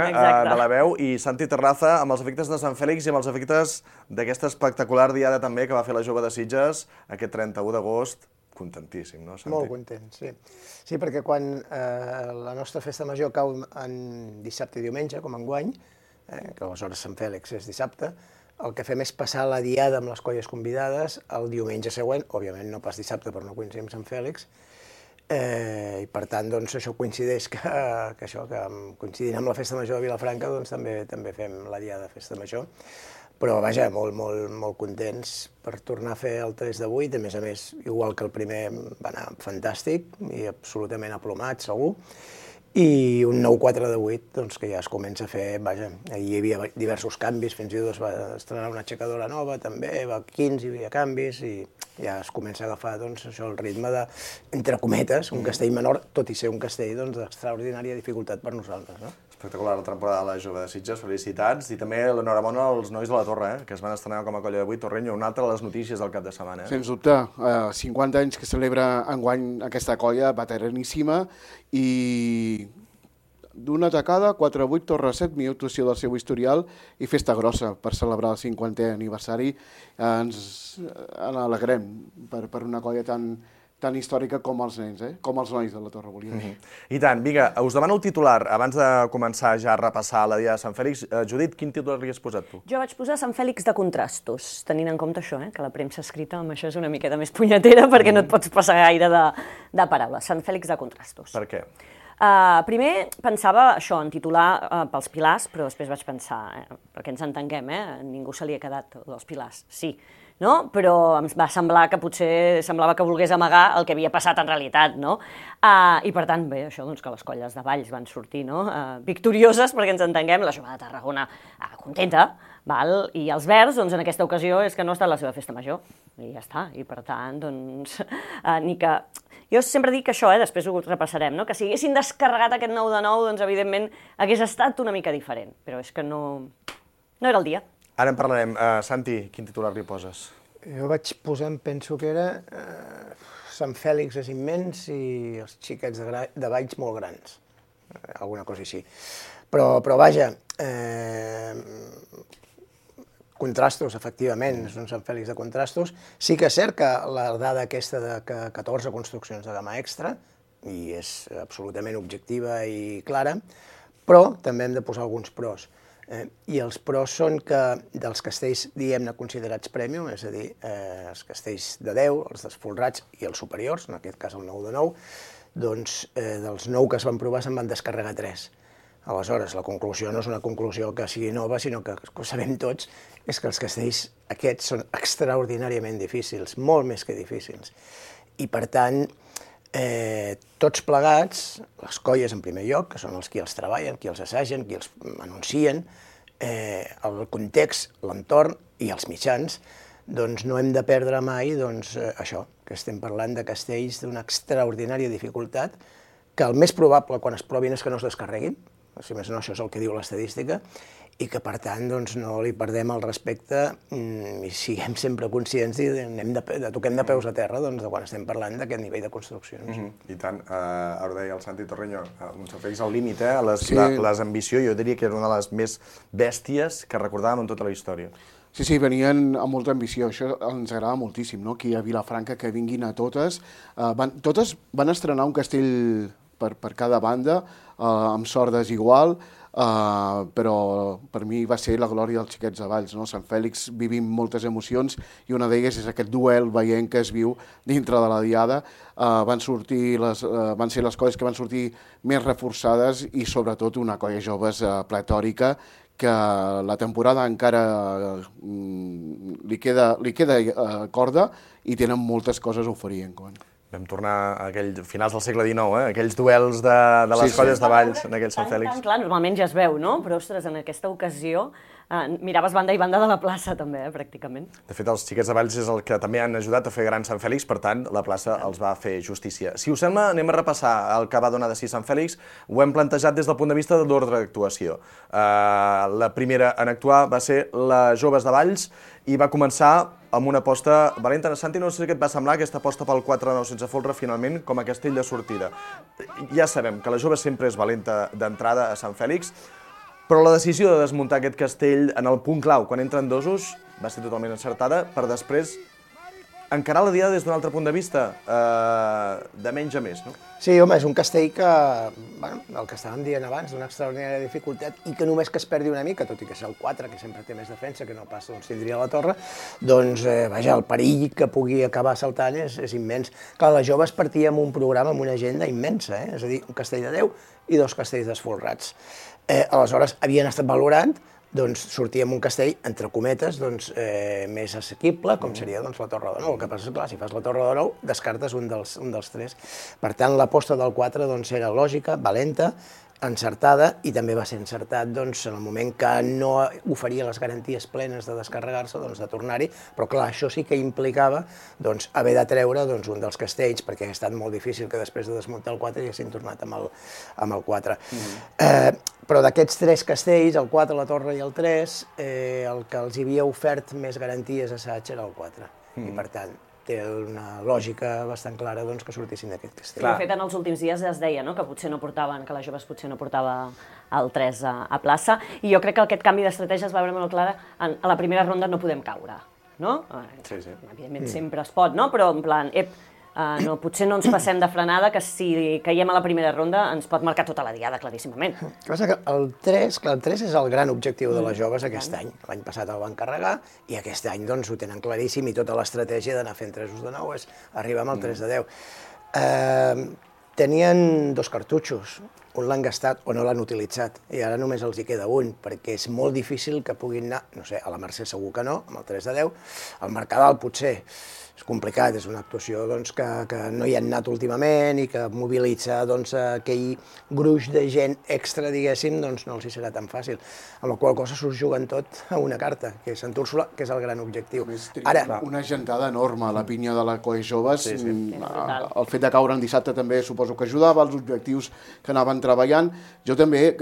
Speaker 6: de la veu, i Santi Terraza amb els efectes de Sant Fèlix i amb els efectes d'aquesta espectacular diada també que va fer la Jove de Sitges aquest 31 d'agost. Contentíssim, no, Santi?
Speaker 13: Molt content, sí. Sí, perquè quan la nostra festa major cau en dissabte i diumenge, com enguany, que aleshores Sant Fèlix és dissabte, el que fem és passar la diada amb les colles convidades el diumenge següent, òbviament no pas dissabte, però no coincidim amb Sant Fèlix, i per tant, doncs, això coincideix que coincidint amb la festa major de Vilafranca, doncs també fem la diada de festa major. Però, vaja, molt contents per tornar a fer el 3 de 8, a més, igual que el primer va anar fantàstic i absolutament aplomat, segur, i un nou 4 de 8, doncs, que ja es comença a fer, vaja, hi havia diversos canvis, fins i tot es va estrenar una aixecadora nova, també, va 15, hi havia canvis, i ja es comença a agafar, doncs, això, el ritme de, entre cometes, un castell menor, tot i ser un castell, doncs, d'extraordinària dificultat per nosaltres, no?
Speaker 6: Espectacular la temporada de la Jove de Sitges, felicitats, i també l'enhorabona als nois de la Torre, que es van estrenar com a colla de 8, Torrenyo, una altra de les notícies del cap de setmana.
Speaker 14: Sens dubte, 50 anys que celebra enguany aquesta colla veteraníssima i d'una tacada, 4-8, Torre 7, millor actuació del seu historial i festa grossa per celebrar el 50è aniversari. Ens alegrem per una colla tan històrica com els nens, com els nois de la Torre, volia dir.
Speaker 6: I tant, vinga, us demano el titular. Abans de començar ja a repassar la diada de Sant Fèlix, Judit, quin titular li has posat tu?
Speaker 12: Jo vaig posar Sant Fèlix de contrastos, tenint en compte això, que la premsa escrita amb això és una miqueta més punyetera perquè no et pots passar gaire de paraules. Sant Fèlix de contrastos.
Speaker 6: Per què?
Speaker 12: Primer pensava això, en titular pels pilars, però després vaig pensar, perquè ens entenguem, ningú se li ha quedat els pilars, sí, no? Però em va semblar que potser semblava que volgués amagar el que havia passat en realitat, no? I per tant, bé, això, doncs, que les colles de Valls van sortir, no? Victorioses, perquè ens entenguem, la Jove de Tarragona contenta, val? I els Verds, doncs, en aquesta ocasió és que no ha estat la seva festa major, i ja està, i per tant, doncs, ni que... Jo sempre dic que això, després ho repassarem, no? Que si haguessin descarregat aquest 9 de 9, doncs, evidentment, hagués estat una mica diferent, però és que no era el dia.
Speaker 6: Ara en parlarem. Santi, quin titular li poses?
Speaker 13: Jo vaig posar, penso que era Sant Fèlix és immens i els xiquets de Valls molt grans. Alguna cosa així. Però vaja, contrastos, efectivament, és un Sant Fèlix de contrastos. Sí que és cert que la dada aquesta de 14 construccions de gamma extra, i és absolutament objectiva i clara, però també hem de posar alguns pros. I els pros són que dels castells, diguem-ne, considerats premium, és a dir, els castells de 10, els desfolrats i els superiors, en aquest cas el 9 de 9, doncs dels 9 que es van provar se'n van descarregar 3. Aleshores, la conclusió no és una conclusió que sigui nova, sinó que ho sabem tots, és que els castells aquests són extraordinàriament difícils, molt més que difícils. I per tant, tots plegats, les colles en primer lloc, que són els qui els treballen, qui els assagen, qui els anuncien, el context, l'entorn i els mitjans, doncs no hem de perdre mai això, que estem parlant de castells d'una extraordinària dificultat, que el més probable quan es provin és que no es descarreguin, si més no això és el que diu l'estadística, i que per tant no li perdem el respecte i siguem sempre conscients i toquem de peus a terra de quan estem parlant d'aquest nivell de construccions.
Speaker 6: I tant, ara ho deia el Santi Torreño, un Sant Fèlix al límit, les ambició jo diria que era una de les més bèsties que recordàvem en tota la història.
Speaker 14: Sí, venien amb molta ambició, això ens agrada moltíssim, no? Aquí a Vilafranca que vinguin a totes. Totes van estrenar un castell per cada banda, amb sort desigual, però per mi va ser la glòria dels xiquets de Valls. Sant Fèlix vivim moltes emocions i una d'elles és aquest duel veient que es viu dintre de la diada. Van ser les colles que van sortir més reforçades i sobretot una colla joves pletòrica que la temporada encara li queda corda i tenen moltes coses a oferir enguany.
Speaker 6: Vam tornar a finals del segle XIX, aquells duels de les colles de Valls en aquell Sant Fèlix.
Speaker 12: Clar, normalment ja es veu, no? Però, ostres, en aquesta ocasió miraves banda i banda de la plaça, també, pràcticament.
Speaker 6: De fet, els xiquets de Valls és el que també han ajudat a fer gran Sant Fèlix, per tant, la plaça els va fer justícia. Si us sembla, anem a repassar el que va donar de si Sant Fèlix. Ho hem plantejat des del punt de vista de l'ordre d'actuació. La primera en actuar va ser les joves de Valls i va començar amb una aposta valenta. Santi, no sé què et va semblar aquesta aposta pel 4-9 sense folre, finalment, com a castell de sortida. Ja sabem que la jove sempre és valenta d'entrada a Sant Fèlix, però la decisió de desmuntar aquest castell en el punt clau, quan entren dosos, va ser totalment encertada, per després encarar la diada des d'un altre punt de vista, de menys a més, no?
Speaker 13: Sí, home, és un castell que, el que estàvem dient abans, d'una extraordinària dificultat i que només que es perdi una mica, tot i que és el 4, que sempre té més defensa, que no pas tindria la torre, doncs, vaja, el perill que pugui acabar saltant és immens. Clar, les joves partia amb un programa, amb una agenda immensa, és a dir, un castell de 10 i 2 castells desfolrats. Aleshores, havien estat valorant, doncs sortíem un castell, entre cometes, més assequible, com seria la Torre de Nou. El que passa és que, si fas la Torre de Nou, descartes un dels 3. Per tant, l'aposta del 4 era lògica, valenta, encertada, i també va ser encertat en el moment que no oferia les garanties plenes de descarregar-se, de tornar-hi, però clar, això sí que implicava haver de treure un dels castells, perquè ha estat molt difícil que després de desmuntar el 4 haguessin tornat amb el 4. Però d'aquests 3 castells, el 4, la torre i el 3, el que els havia ofert més garanties assaig era el 4. I per tant, té una lògica bastant clara que sortissin d'aquest castell.
Speaker 12: De fet, en els últims dies es deia que potser no portaven, que les joves potser no portava el 3 a plaça, i jo crec que aquest canvi d'estratègia es va veure molt clara. A la primera ronda no podem caure, no?
Speaker 6: Sí.
Speaker 12: Evidentment sempre es pot, no? Però en plan, potser no ens passem de frenada, que si caiem a la primera ronda ens pot marcar tota la diada, claríssimament.
Speaker 13: El que passa que el 3 és el gran objectiu de les joves aquest any. L'any passat el van carregar i aquest any ho tenen claríssim i tota l'estratègia d'anar fent 3 de 9 és arribar amb el 3 de 10. Tenien 2 cartutxos, un l'han gastat o no l'han utilitzat, i ara només els hi queda un, perquè és molt difícil que puguin anar, no sé, a la Mercè segur que no, amb el 3 de 10, al Mercadal potser, és complicat, és una actuació que no hi han anat últimament i que mobilitzar aquell gruix de gent extra, diguéssim, no els hi serà tan fàcil. Amb la qual cosa s'ho juguen tot a una carta, que és Sant Úrsula, que és el gran objectiu.
Speaker 14: Una gentada enorme, la pinya de la colla joves. El fet de caure en dissabte també suposo que ajudava, els objectius que anaven estaven treballant. Jo també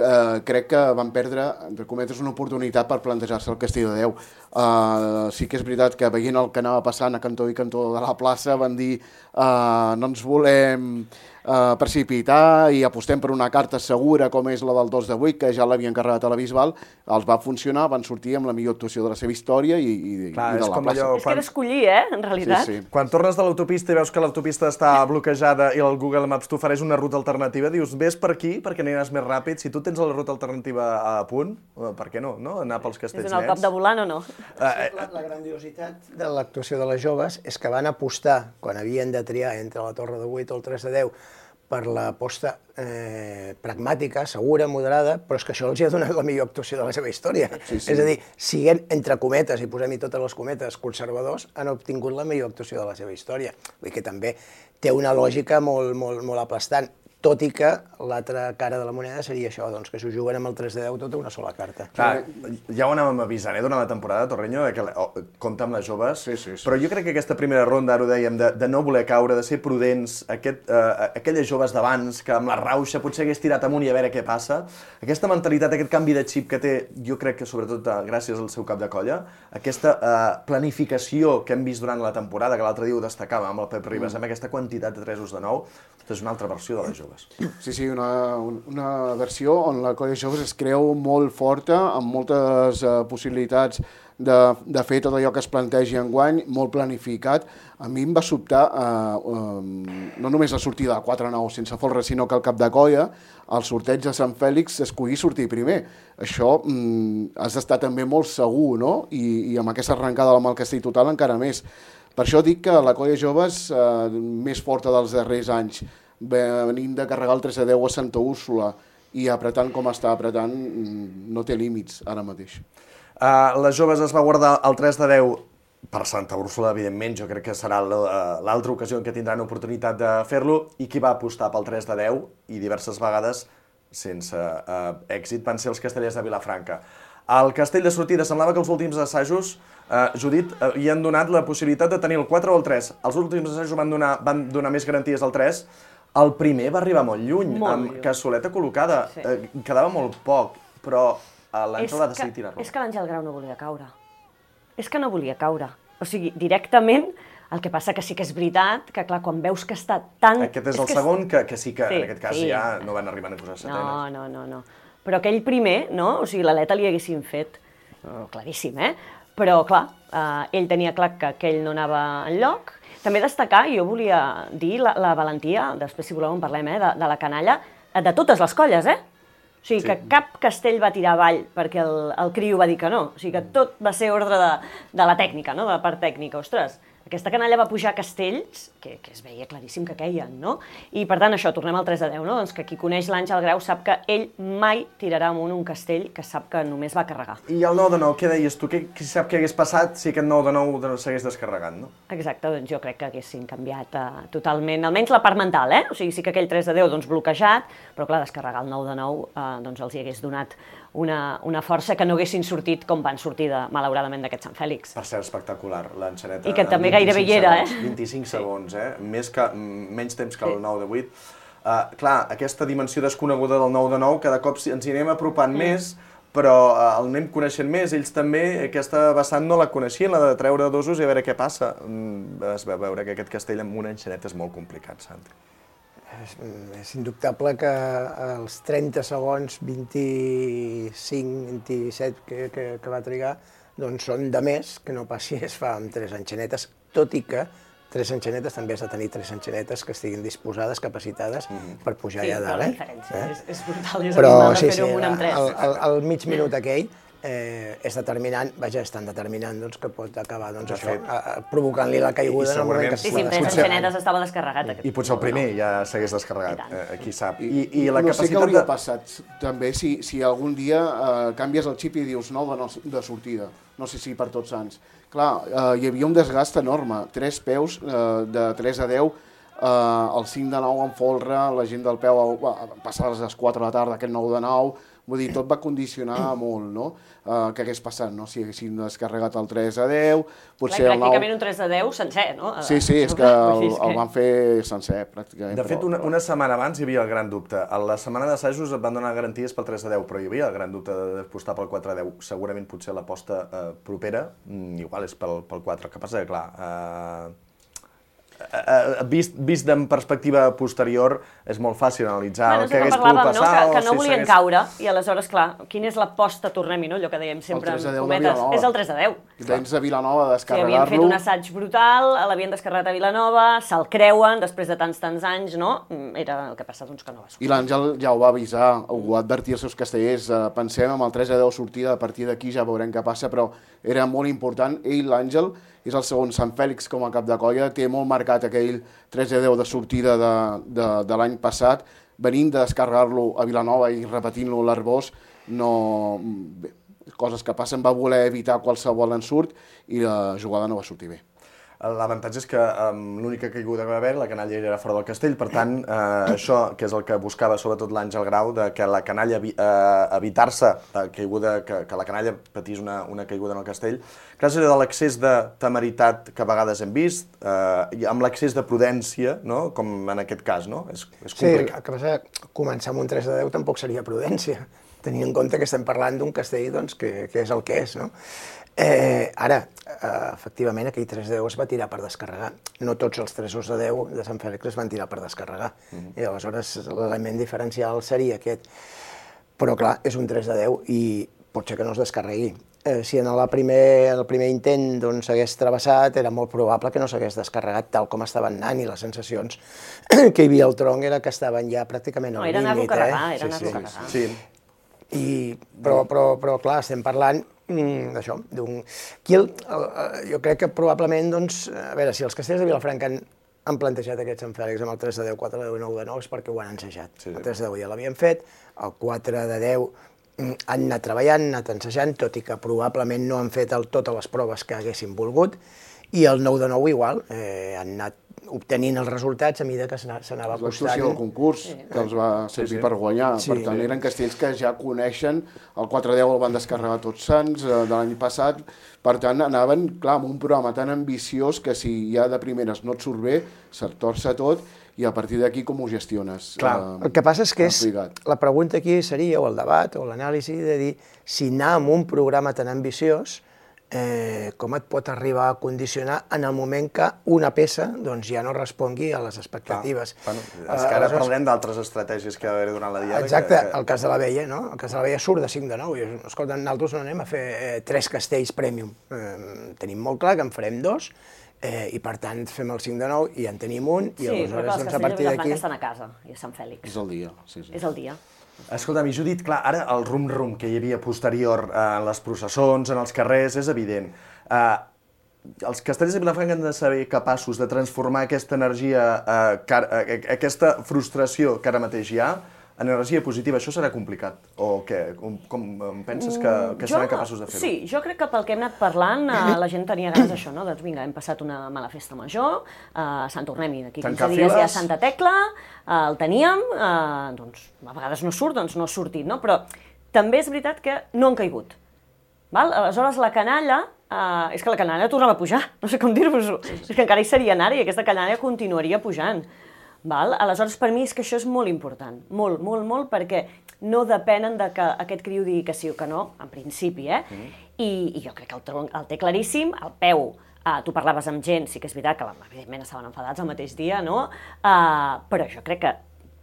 Speaker 14: crec que van perdre, entre cometes, una oportunitat per plantejar-se el Castell de Déu. Sí que és veritat que veient el que anava passant a cantó i cantó de la plaça van dir no ens volem precipitar i apostem per una carta segura com és la del 2 de 8, que ja l'havien carregat a la Bisbal, els va funcionar, van sortir amb la millor actuació de la seva història i de la plaça.
Speaker 12: És que era escollir, en realitat.
Speaker 6: Sí. Quan tornes de l'autopista i veus que l'autopista està bloquejada i el Google Maps t'ofereix una ruta alternativa, dius, ves per aquí perquè aniràs més ràpid. Si tu tens la ruta alternativa a punt, per què no? Anar pels castells nets.
Speaker 12: És un cop de volant o no?
Speaker 13: La grandiositat de l'actuació de les joves és que van apostar, quan havien de triar entre la Torre de 8 o el 3 de 10, per l'aposta pragmàtica, segura, moderada, però és que això els ha donat la millor actuació de la seva història. És a dir, siguent, entre cometes, i posem-hi totes les cometes, conservadors, han obtingut la millor actuació de la seva història. Vull dir que també té una lògica molt aplastant, tot i que l'altra cara de la moneda seria això, doncs que s'ho juguen amb el 3 de 10 tota una sola carta.
Speaker 6: Clar, ja ho anàvem avisant durant la temporada, Torreño, que compta amb les joves, però jo crec que aquesta primera ronda, ara ho dèiem, de no voler caure, de ser prudents, aquelles joves d'abans, que amb la rauxa potser hagués tirat amunt i a veure què passa, aquesta mentalitat, aquest canvi de xip que té, jo crec que sobretot gràcies al seu cap de colla, aquesta planificació que hem vist durant la temporada, que l'altre dia ho destacava amb el Pep Ribas, amb aquesta quantitat de 3 de 9, és una altra versió de les joves.
Speaker 14: Sí, una versió on la colla de joves es creu molt forta, amb moltes possibilitats de fer tot allò que es plantegi enguany, molt planificat. A mi em va sobtar no només la sortida de 4-9 sense folre, sinó que el cap de colla, al sorteig de Sant Fèlix, escollir sortir primer. Això has d'estar també molt segur, no? I amb aquesta arrencada amb el Castell total encara més. Per això dic que la colla de joves més forta dels darrers anys, venint de carregar el 3 de 10 a Santa Úrsula i apretant com està apretant, no té límits ara mateix.
Speaker 6: Les joves es va guardar el 3 de 10 per Santa Úrsula, evidentment, jo crec que serà l'altra ocasió en què tindran oportunitat de fer-lo, i qui va apostar pel 3 de 10 i diverses vegades sense èxit van ser els castellers de Vilafranca. Al castell de sortida semblava que els últims assajos, Judit, havien donat la possibilitat de tenir el 4 o el 3. Els últims assajos van donar més garanties al 3. El primer va arribar molt lluny, amb cassoleta col·locada. Quedava molt poc, però l'Àngel va decidir tirar-lo.
Speaker 12: És que l'Àngel Grau no volia caure. És que no volia caure. O sigui, directament, el que passa que sí que és veritat que, clar, quan veus que està tan...
Speaker 6: Aquest és el segon, que sí que en aquest cas ja no van arribar a posar setenes.
Speaker 12: No. Però aquell primer, no? O sigui, l'aleta li haguessin fet, claríssim, Però, clar, ell tenia clar que aquell no anava enlloc. També destacar, jo volia dir la valentia, després si voleu en parlem, de la canalla, de totes les colles, O sigui, que cap castell va tirar avall perquè el criu va dir que no. O sigui, que tot va ser ordre de la tècnica, no? De la part tècnica. Ostres, aquesta canalla va pujar a castells que es veia claríssim que queien, no? I, per tant, això, tornem al 3 de 10, no? Doncs que qui coneix l'Àngel Grau sap que ell mai tirarà amunt un castell que sap que només va carregar.
Speaker 6: I el 9 de 9, què deies tu? Qui sap què hagués passat si aquest 9 de 9 s'hagués descarregat, no?
Speaker 12: Exacte, doncs jo crec que haguessin canviat totalment, almenys la part mental, O sigui, sí que aquell 3 de 10, doncs, bloquejat, però, clar, descarregar el 9 de 9, doncs els hi hagués donat una força que no haguessin sortit com van sortir, malauradament, d'aquest Sant Fèlix.
Speaker 6: Per ser espectacular, l'enxaneta.
Speaker 12: I que també gairebé hi era,
Speaker 6: 25 segons, menys temps que el 9 de 8. Clar, aquesta dimensió desconeguda del 9 de 9, cada cop ens hi anem apropant més, però el anem coneixent més. Ells també, aquesta vessant no la coneixien, la de treure dosos i a veure què passa. Es va veure que aquest castell amb una enxaneta és molt complicat, Santi.
Speaker 13: És indubtable que els 30 segons, 25, 27 que va trigar, doncs són de més que no pas si es fa amb 3 enxanetes, tot i que 3 enxanetes també has de tenir 3 enxanetes que estiguin disposades, capacitades per pujar allà dalt.
Speaker 12: Sí, però la diferència és brutal, és abismal de fer-ho amb un amb 3.
Speaker 13: El mig minut aquell és determinant, és tan determinant que pot acabar provocant-li la caiguda en el moment que es
Speaker 12: Sí, 3 enxanetes estava descarregat.
Speaker 6: I potser el primer ja s'hagués descarregat, qui sap.
Speaker 14: I la capacitat... No sé què hauria passat també si algun dia canvies el xip i dius 9 de sortida, no sé si per tots sants. Clar, hi havia un desgast enorme, 3 peus de 3 a 10, el 5 de 9 en folre, la gent del peu passar a les 4 de la tarda, aquest 9 de 9, Vull dir, tot va condicionar molt, no?, què hagués passat, no?, si haguessin descarregat el 3-10, potser
Speaker 12: clar,
Speaker 14: el 9...
Speaker 12: pràcticament un 3-10 sencer, no?
Speaker 14: Sí, és que el van fer sencer, pràcticament.
Speaker 6: De fet, una setmana abans hi havia el gran dubte. A la setmana d'assajos et van donar garanties pel 3-10, però hi havia el gran dubte d'apostar pel 4-10. Segurament potser l'aposta propera, igual és pel 4. El que passa que, clar, vist en perspectiva posterior, és molt fàcil analitzar el que hagués pogut passar.
Speaker 12: Que no volien caure, i aleshores, clar, quina és l'aposta, tornem-hi, no? Allò que dèiem sempre en cometes, és el 3-10.
Speaker 14: Tens a Vilanova descarregar-lo.
Speaker 12: Havien fet un assaig brutal, l'havien descarregat a Vilanova, se'l creuen, després de tants anys, no? Era el que passa, doncs, que no va sortir.
Speaker 14: I l'Àngel ja ho va avisar, ho va advertir als seus castellers, pensem amb el 3-10 sortida, a partir d'aquí ja veurem què passa, però era molt important. Ell, l'Àngel, és el segon Sant Fèlix com a cap de colla, té molt marcat aquell 3-10 de sortida de l'any passat, venint de descarregar-lo a Vilanova i repetint-lo a l'Arbós, coses que passen, va voler evitar qualsevol ensurt i la jugada no va sortir bé.
Speaker 6: L'avantatge és que l'única caiguda que va haver, la canalla era fora del castell, per tant, això, que és el que buscava sobretot l'Àngel Grau, que la canalla evitar-se que la canalla patís una caiguda en el castell, gràcies a l'excés de temeritat que a vegades hem vist, amb l'excés de prudència, com en aquest cas, és complicat.
Speaker 13: Sí, el que passa és que començar amb un 3-10 tampoc seria prudència, tenint en compte que estem parlant d'un castell que és el que és, no? Ara, efectivament, aquell 3-10 es va tirar per descarregar. No tots els 3-10 de Sant Fèlix es van tirar per descarregar. I aleshores l'element diferencial seria aquest. Però clar, és un 3-10 i pot ser que no es descarregui. Si en el primer intent s'hagués travessat, era molt probable que no s'hagués descarregat tal com estaven anant, i les sensacions que hi havia al tronc era que estaven ja pràcticament al límit.
Speaker 12: Era anar-lo a carregar, era anar-lo a carregar.
Speaker 13: Però clar, estem parlant d'això. Jo crec que probablement, a veure, si els castells de Vilafranca han plantejat aquest Sant Fèlix amb el 3-10, 4-10 i 9-9 és perquè ho han ensajat. El 3-10 ja l'havien fet, el 4-10 han anat treballant, han anat ensajant, tot i que probablement no han fet totes les proves que haguessin volgut, i el 9-9 igual, han anat obtenint els resultats a mesura que s'anava acostant.
Speaker 14: L'actuació del concurs, que els va servir per guanyar. Per tant, eren castells que ja coneixen, el 4-10 el van descarregar tots sants de l'any passat, per tant, anaven, clar, amb un programa tan ambiciós que si ja de primeres no et surt bé, se't torça tot, i a partir d'aquí com ho gestiones?
Speaker 13: El que passa és que la pregunta aquí seria, o el debat, o l'anàlisi, de dir si anar amb un programa tan ambiciós com et pot arribar a condicionar en el moment que una peça ja no respongui a les expectatives.
Speaker 6: És que ara parlem d'altres estratègies que va haver durant la diada.
Speaker 13: Exacte, el cas de l'Abella, no? El cas de l'Abella surt de 5-9. Escolta, nosaltres no anem a fer 3 castells prèmium. Tenim molt clar que en farem 2, i per tant fem el 5-9 i en tenim un, i aleshores a partir d'aquí...
Speaker 12: Sí, però els castells de Vilafranca estan a casa, i a Sant Fèlix.
Speaker 14: És el dia, sí.
Speaker 12: És el dia.
Speaker 6: Escolta'm, i Judit, clar, ara el rum-rum que hi havia posterior en les processons, en els carrers, és evident. Els castellers de Vilafranca han de ser capaços de transformar aquesta energia, aquesta frustració que ara mateix hi ha, en energia positiva. Això serà complicat? O què? Com penses que seran capaços de fer-ho?
Speaker 12: Sí, jo crec que pel que hem anat parlant, la gent tenia ganes d'això, no? Doncs vinga, hem passat una mala festa major, Sant Tornem-hi, d'aquí 15 dies hi ha Santa Tecla, el teníem, doncs a vegades no surt, doncs no ha sortit, no? Però també és veritat que no han caigut. Aleshores la canalla, és que la canalla tornava a pujar, no sé com dir-vos-ho, és que encara hi seria anar i aquesta canalla continuaria pujant. Aleshores, per mi és que això és molt important, molt, molt, molt, perquè no depenen de que aquest criu digui que sí o que no, en principi, i jo crec que el tronc el té claríssim, el peu, tu parlaves amb gent, sí que és veritat que evidentment estaven enfadats el mateix dia, no? Però jo crec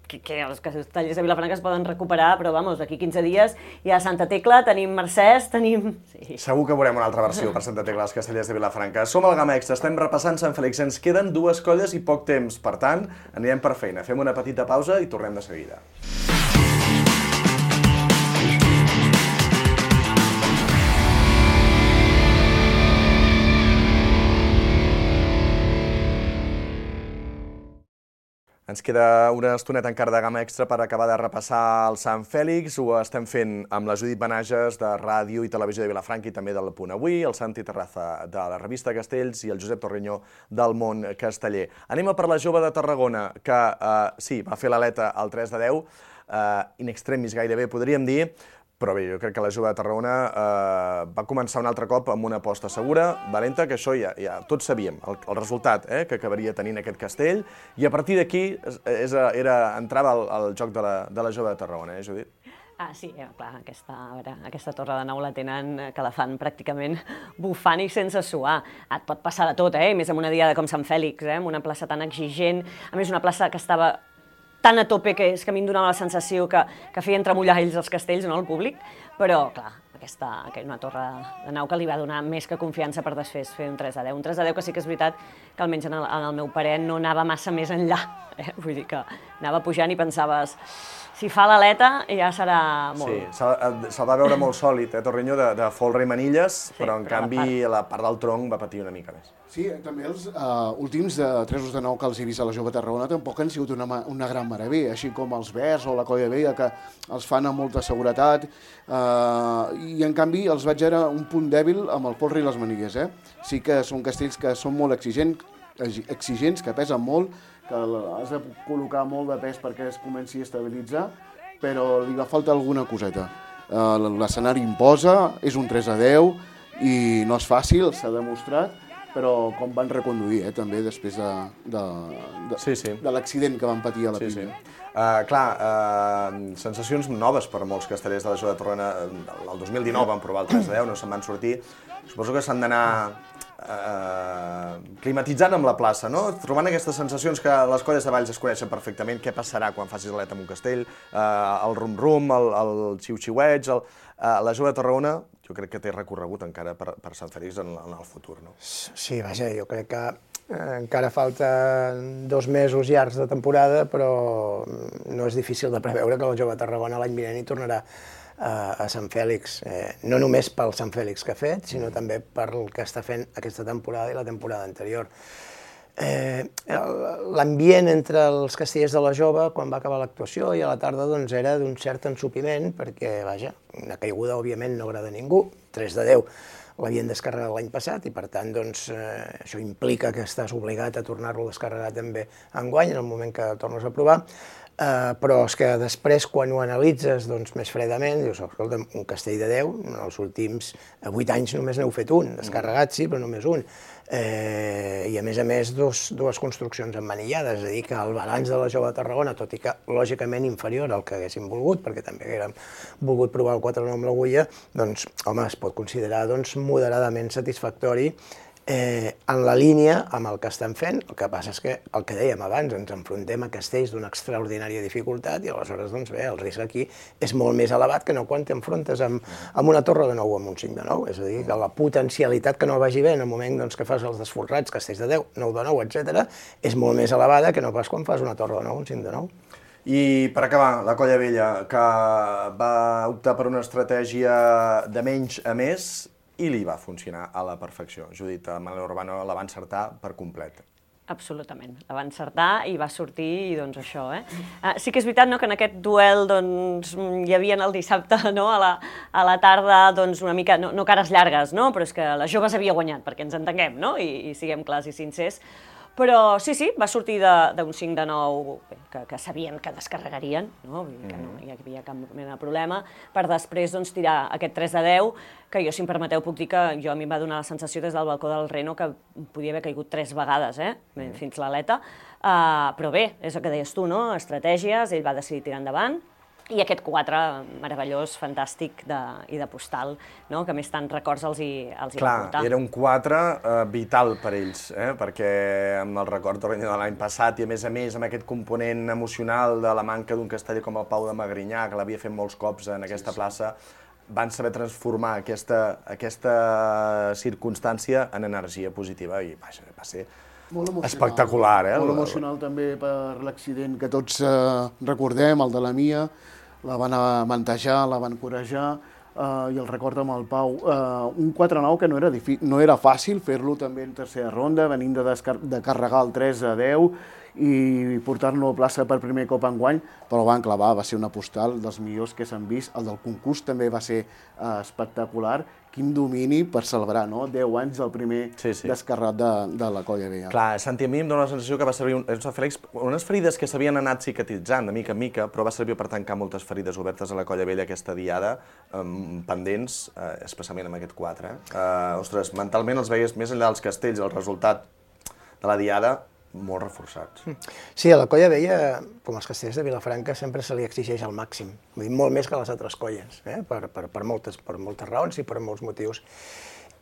Speaker 12: que els castellers de Vilafranca es poden recuperar, però vamos, d'aquí 15 dies hi ha Santa Tecla, tenim Mercès, tenim...
Speaker 6: Segur que veurem una altra versió per Santa Tecla dels castellers de Vilafranca. Som al Gamma Extra, estem repassant Sant Fèlix, ens queden 2 colles i poc temps, per tant, anirem per feina. Fem una petita pausa i tornem de seguida. Ens queda una estoneta encara de Gamma Extra per acabar de repassar el Sant Fèlix. Ho estem fent amb la Judit Benages de Ràdio i Televisió de Vilafranca i també del Punt Avui, el Santi Terraza de la revista Castells i el Josep Torreño del Món Casteller. Anem a per la jove de Tarragona, que sí, va fer l'aleta al 3-10. in extremis gairebé, podríem dir, però bé, jo crec que la Jove de Tarragona va començar un altre cop amb una aposta segura, valenta, que això ja tots sabíem, el resultat que acabaria tenint aquest castell, i a partir d'aquí entrava el joc de la Jove de Tarragona, Judit?
Speaker 12: Sí, clar, aquesta torre de nou la tenen, que la fan pràcticament bufant i sense suar. Et pot passar de tot, més en una diada com Sant Fèlix, en una plaça tan exigent, a més una plaça que estava tan a tope que a mi em donava la sensació que feien tremollar ells els castells, no, el públic, però, clar, una torre de nau que li va donar més que confiança per després fer un 3-10. Un 3-10 que sí que és veritat que almenys en el meu parer no anava massa més enllà. Vull dir que anava pujant i pensaves, si fa l'aleta ja serà molt...
Speaker 6: Sí, se'l va veure molt sòlid, Torriño, de folre i manilles, però en canvi la part del tronc va patir una mica més.
Speaker 14: Sí, també els últims tresos de nou que els he vist a la Jove Tarragona tampoc han sigut una gran meravella, així com els Verds o la Colla Vella, que els fan amb molta seguretat, i en canvi els vaig veure un punt dèbil amb el folre i les manilles. Sí que són castells que són molt exigents, que pesen molt, que has de col·locar molt de pes perquè es comenci a estabilitzar, però li va faltar alguna coseta. L'escenari imposa, és un 3-10 i no és fàcil, s'ha demostrat, però com van reconduir també després de l'accident que van patir a la Pina.
Speaker 6: Clar, sensacions noves per molts castellers de la Jove de Tarragona. El 2019 van provar el 3-10, no se'n van sortir. Suposo que s'han d'anar climatitzant amb la plaça, no? Trobant aquestes sensacions que les colles de Valls es coneixen perfectament, què passarà quan facis aleta amb un castell, el rum-rum, el xiu-xiueig, la Jove de Tarragona, jo crec que té recorregut encara per Sant Fèlix en el futur, no?
Speaker 13: Sí, vaja, jo crec que encara falten 2 mesos llargs de temporada, però no és difícil de preveure que la Jove de Tarragona l'any vinent hi tornarà a Sant Fèlix, no només pel Sant Fèlix que ha fet, sinó també per el que està fent aquesta temporada i la temporada anterior. L'ambient entre els castellers de la Jove, quan va acabar l'actuació i a la tarda, doncs era d'un cert ensopiment, perquè, vaja, una caiguda, òbviament, no agrada a ningú, 3-10 l'havien descarregat l'any passat i, per tant, doncs, això implica que estàs obligat a tornar-lo a descarregar també enguany, en el moment que tornes a provar, però és que després, quan ho analitzes més fredament, dius, escolta, un castell de 10, en els últims 8 anys només n'heu fet un, descarregat sí, però només un. I a més, dues construccions emmanillades, és a dir, que el balanç de la Jove de Tarragona, tot i que lògicament inferior al que haguéssim volgut, perquè també haguérem volgut provar el 4-9 amb l'Agulla, doncs, home, es pot considerar moderadament satisfactori en la línia amb el que estan fent. El que passa és que, el que dèiem abans, ens enfrontem a castells d'una extraordinària dificultat i aleshores, doncs bé, el risc aquí és molt més elevat que no quan t'enfrontes amb una torre de 9 o amb un 5 de 9. És a dir, que la potencialitat que no vagi bé en el moment que fas els desforrats, castells de 10, 9 de 9, etc., és molt més elevada que no pas quan fas una torre de 9 o un 5 de 9.
Speaker 6: I per acabar, la Colla Vella, que va optar per una estratègia de menys a més, i li va funcionar a la perfecció. Judit, Manel Urbano la va encertar per complet.
Speaker 12: Absolutament. La va encertar i va sortir, i doncs això, Sí que és veritat que en aquest duel hi havia el dissabte a la tarda una mica, no cares llargues, però és que la Jove s'havia guanyat, perquè ens entenguem, i siguem clars i sincers. Però sí, va sortir d'un 5 de 9 que sabien que descarregarien, que no hi havia cap mena de problema, per després tirar aquest 3 de 10, que jo, si em permeteu, puc dir que a mi em va donar la sensació des del balcó del Reno que podia haver caigut 3 vegades, fins l'aleta, però bé, és el que deies tu, estratègies, ell va decidir tirar endavant, i aquest 4 meravellós, fantàstic i de postal, que més tant records els hi va portar.
Speaker 6: Clar, era un 4 vital per ells, perquè amb el record de l'any passat i a més amb aquest component emocional de la manca d'un casteller com el Pau de Magrinyà, que l'havia fet molts cops en aquesta plaça, van saber transformar aquesta circumstància en energia positiva i va ser espectacular.
Speaker 14: Molt emocional també per l'accident que tots recordem, el de la Mia, la van avantatjar, la van corejar, i el record amb el Pau. Un 4-9 que no era fàcil fer-lo també en tercera ronda, venint de carregar el 3-10 i portar-lo a plaça per primer cop enguany, però van clavar, va ser una postal dels millors que s'han vist. El del concurs també va ser espectacular. quin domini per celebrar, no? 10 anys del primer descarrat de la Colla Vella.
Speaker 6: Clar, Santi, a mi em dóna la sensació que va servir Fèlix, unes ferides que s'havien anat cicatritzant de mica en mica, però va servir per tancar moltes ferides obertes a la Colla Vella aquesta diada, pendents, especialment amb aquest 4. Ostres, mentalment els veies més enllà dels castells, el resultat de la diada, molt reforçats.
Speaker 13: Sí, a la Colla Vella, com els castells de Vilafranca, sempre se li exigeix el màxim. Vull dir, molt més que a les altres colles, per moltes raons i per molts motius.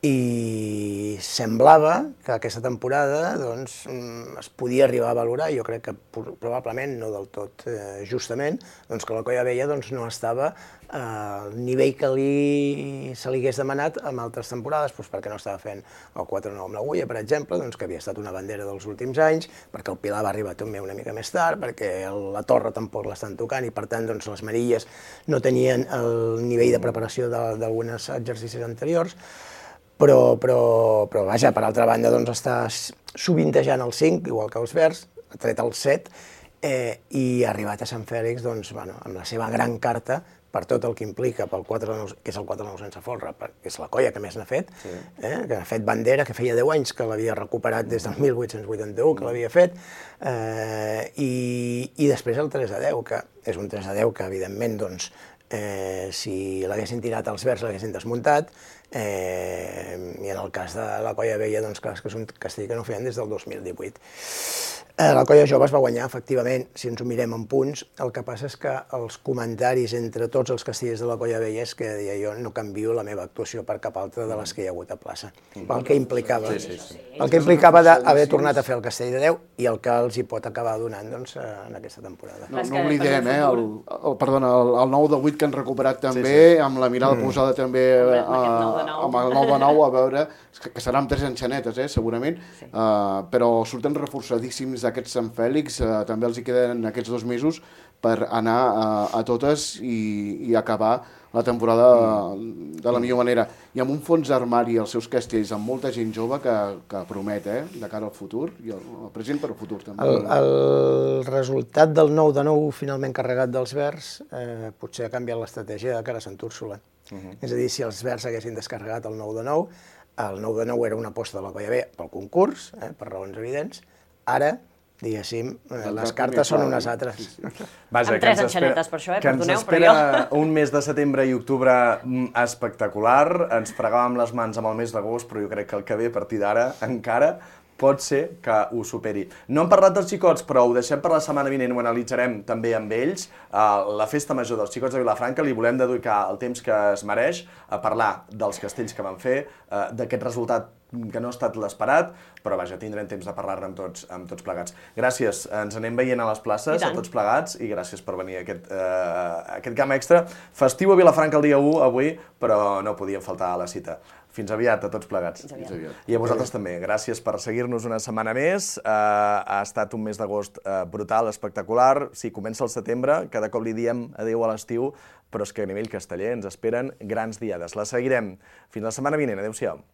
Speaker 13: I semblava que aquesta temporada es podia arribar a valorar, jo crec que probablement no del tot justament, que la Colla Vella no estava al nivell que se li hagués demanat en altres temporades, perquè no estava fent el 4-9 amb l'Agulla, per exemple, que havia estat una bandera dels últims anys, perquè el Pilar va arribar també una mica més tard, perquè la Torre tampoc l'estan tocant i, per tant, les Marilles no tenien el nivell de preparació d'alguns exercicis anteriors. Però vaja, per altra banda, està sovintejant el 5, igual que els Verds, ha tret el 7, i ha arribat a Sant Fèlix amb la seva gran carta, per tot el que implica, que és el 4-9 sense folre, que és la colla que més n'ha fet, que ha fet bandera, que feia 10 anys que l'havia recuperat des del 1881, que l'havia fet, i després el 3-10, que és un 3-10 que, evidentment, si l'haguessin tirat als Verds l'haguessin desmuntat, i en el cas de la Colla Vella, clar, és que és un castell que no feien des del 2018. La Colla Jove es va guanyar, efectivament, si ens ho mirem en punts. El que passa és que els comentaris entre tots els castellers de la Colla Vella és que deia jo no canvio la meva actuació per cap altra de les que hi ha hagut a plaça. El que implicava d'haver tornat a fer el castell de 10 i el que els hi pot acabar donant en aquesta temporada.
Speaker 14: No oblidem, el 9 de 8 que han recuperat també, amb la mirada posada també amb el 9 de 9, a veure, que seran 3 enxanetes, segurament, però surten reforçadíssims d'aquests Sant Fèlix, també els hi queden aquests 2 mesos per anar a totes i acabar la temporada de la millor manera. I amb un fons d'armari als seus castells, amb molta gent jove que promet, de cara al futur, i el present per al futur també.
Speaker 13: El resultat del 9 de 9 finalment carregat dels Verds potser ha canviat l'estratègia de cara a Sant Úrsula. És a dir, si els Verds haguessin descarregat el 9 de 9, el 9 de 9 era una aposta de la Colla Vella pel concurs, per raons evidents. Ara, diguéssim, les cartes són unes altres.
Speaker 12: Amb 3 enxanetes per això,
Speaker 6: que ens espera un mes de setembre i octubre espectacular. Ens fregàvem les mans amb el mes d'agost, però jo crec que el que ve a partir d'ara encara pot ser que ho superi. No hem parlat dels xicots, però ho deixem per la setmana vinent, ho analitzarem també amb ells. La festa major dels xicots de Vilafranca li volem dedicar el temps que es mereix a parlar dels castells que van fer, d'aquest resultat que no ha estat l'esperat, però vaja, tindrem temps de parlar-ne amb tots plegats. Gràcies, ens anem veient a les places, a tots plegats, i gràcies per venir a aquest GAM Extra. Festiu a Vilafranca el dia 1 avui, però no podíem faltar a la cita. Fins aviat a tots plegats. I a vosaltres també. Gràcies per seguir-nos una setmana més. Ha estat un mes d'agost brutal, espectacular. Sí, comença el setembre, cada cop li diem adéu a l'estiu, però és que a nivell casteller ens esperen grans diades. La seguirem. Fins la setmana vinent. Adéu-siau.